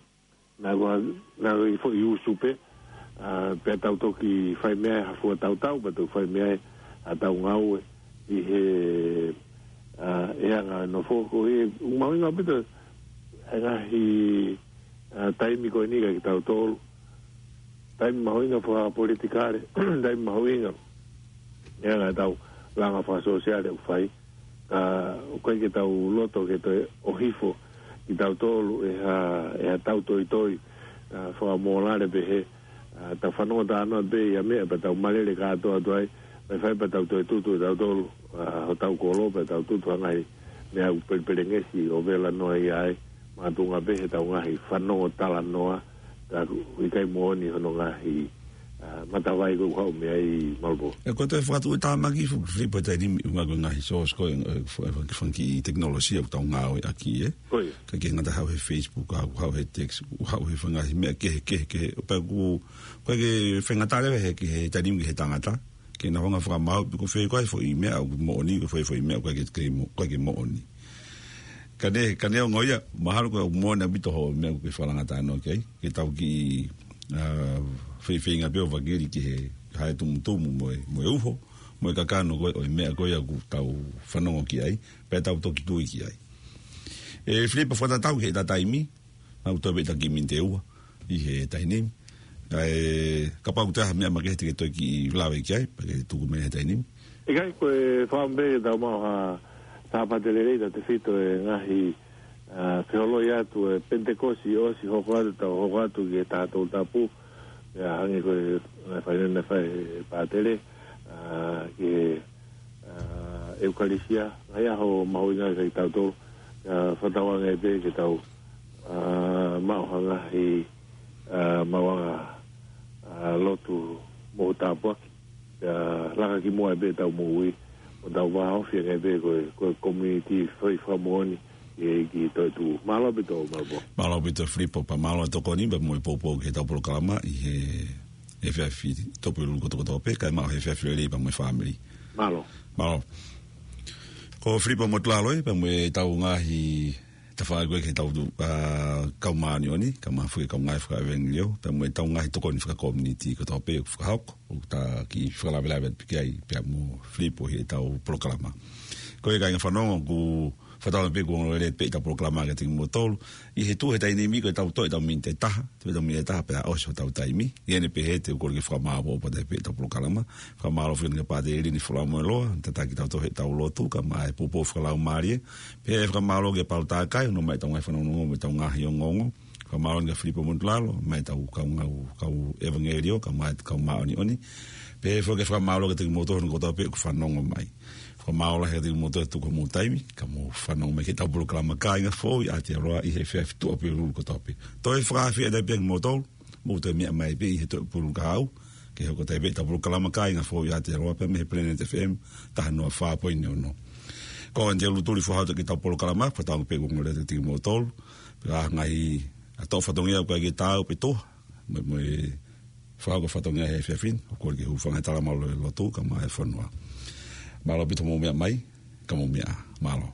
Naʻa ko, naʻa ko e foʻi usu pē, ā, pea tau toki fai mei ai ha fua tautau, pea tau fai mei ai ʻetau ngāue ʻi he, ā, ʻi he anga e nofo ko ē, ʻoku mahuʻinga ʻaupito e ngaahi, ā, taimi ko eni kia kitautolu. Taimi mahuʻinga fakapolitikale, taimi mahuʻinga. ʻI he anga ʻetau langa fakasōsiale ʻoku fai. Ka ʻoku ʻikai ke tau loto ke toe ʻohifo kitautolu ʻe ha, ʻe ha tautoitoi, ā, fakamōlale pehē, ā, tau fanongo talanoa pē ʻi ha meʻa pea tau malele kātoa atu ai, pea fai pea tau toe tutu ʻe tautolu, ā, hotau kolo pea tau tutu ha ngaahi meʻa ʻoku pelepelengesi ʻo vela noa ia ai, makatuʻunga pē heʻetau ngaahi fanongo talanoa, ka ʻoku ʻikai moʻoni hono ngaahi, ā, matavai ko ē ʻoku haʻu mei ai Malupolu. ʻE, ko e toe fakatuʻutāmaki foki Filipo he taimi ni, ʻuhinga ko e ngaahi source ko ē, ē, fa-, fa-, fanga kiʻi tekinolosia ʻoku tau ngāueʻaki, ē? Ko ia. ʻIkai ke ngata haʻu he Facebook, haʻu, haʻu he text, haʻu he fanga kiʻi meʻa kehekehe, kehe. Pea ʻoku, ʻoku ʻikai ke faingataʻa leva he, ki he taimi ni ki he tangata. Ke na hanga ʻo fakamaau, pe ko fē koā e foʻi meʻa ʻoku moʻoni, ko fē foʻi meʻa ʻoku ʻikai ke, ke mo-, ʻikai ke moʻoni. Ka ne, ka neongo ia, mahalo ko e moʻoni ʻaupito hoʻo meʻa ʻoku ke fakalanga talanoa ki ai, ke tau kiʻi, ā, feifeinga pē ʻo vakili ki he, ha e tumutumu mo e, mo e uho, mo e kakano ko ē, ʻo e meʻa ko ia ʻoku tau fanongo ki ai, pea tau toki tui ki ai. ʻE Filipo, fakatatau ki heʻeta taimi, naʻa ku toe pē ʻeta kiʻi miniti ʻe ua ʻi he taimi ni. Kae, kapau ʻoku toe ʻi ai ha meʻa makehe te ke toe kiʻi lave ki ai, pea ke tuku mei he taimi ni. ʻIkai, ko e fakaʻamu pē ke tau maʻu ha Sāpate lelei, tautefito e ngaahi, ā, feholoi atu e Penitekosi ʻosi hoko atu, tau hoko atu ki he Taha Tolu Tapu, ʻa ia hangē ko e ngaahi fainene naʻe fai ʻe he pātele, ā, ki he ā, ʻEukalisia, ngaahi ʻaho mahuʻinga kia kitautolu, ā, fakatauange pē ke tau, ā, maʻu ha ngaahi, ā, maʻuʻanga, ā, lotu mohu tāpuaki, ā, laka ki muʻa pē ʻetau moʻui, ʻo tau vāofi ange pē ko e, ko e community foʻi fakamoʻoni, ʻEiki toetuʻu. Mālō ʻaupito, Malupo. Mālō ʻaupito Filipo, pea mālō e tokoni pea mo e poupou ki heʻetau polokalama ʻi he efiafi Tuʻapulelulu kotoa kotoa pē, kae maʻu ha efiafi lelei pea mo e fāmili. Mālō. Mālō. Ko Filipo Motulalo ē, pea mo ʻetau ngaahi tafaʻaki ko ē ki heʻetau, ʻa, kau māʻoniʻoni, kae ʻumaʻā foki e kau ngāue fakaʻevangeliō, pea mo ʻetau ngaahi tokoni fakakomiunitī kotoa pē ʻoku fakahoko, ʻoku ta kiʻi fakalavelave atu pē ki ai, pea mo Filipo ʻi heʻetau polokalama. Ko ia kāinga fanongo, ʻoku fakatauange pē ʻoku ongoongolelei pē ʻetau polokalama kiate kimoutolu. ʻI he tuʻu he taimi ni ko ʻetau toe ʻetau miniti ʻe taha, toe ʻetau miniti ʻe taha pea ʻosi hotau taimi. ʻI heʻene pehē te u kole ke fakamaʻopoʻopo atu pē ʻetau polokalama. Fakamālō foki kia Pātele ʻIlini Folamoeloa, tataki kitautolu heʻetau lotu, kae ʻumaʻā e poupou fakalaumālie. Pea fakamālō kia Paula Takai, ʻoku ʻomai ʻetau ngaahi fanongonongo mo ʻetau ngaahi ongoongo. Fakamālō kia Filipo Motulalo, mo ʻetau kau ngāue, kau ʻevangeliō, kae ʻumaʻā e kau māʻoniʻoni. Pea foki ke fakamālō kiate kimoutolu kotoa pē ʻoku fanongo mai. Fakamālō lahi kiate kimoutolu ʻoku tuku homou taimi, kae mou fanongo mai ki heʻetau polokalama Kāinga Foʻou ʻi Aotearoa ʻi he efiafi Tuʻapulelulu kotoa pē. Toe fakaafeʻi atu pē kimoutolu, mou toe meʻa mai pē ʻi he Tuʻapulelulu kahaʻu, ke hoko atu pē ʻetau polokalama Kāinga Foʻou ʻi Aotearoa pē mei he Planet F M taha noa fā poini ono. Ko Antia Lutuli foha atu ki heʻetau polokalama, fakatauange pē ʻoku ongoongolelei kiate kimoutolu, pea ngaahi ʻa e toʻo fatongia ʻoku ʻikai ke taau pe toʻo, mo, mo e fakahoko fatongia he efiafi ni, ʻoku kole ke hūfanga he talamalu ʻo e lotu, kae ʻumaʻā e fonua. Mālō ʻaupito hoʻomou meʻa mai, kae mou meʻa ā. Mālō.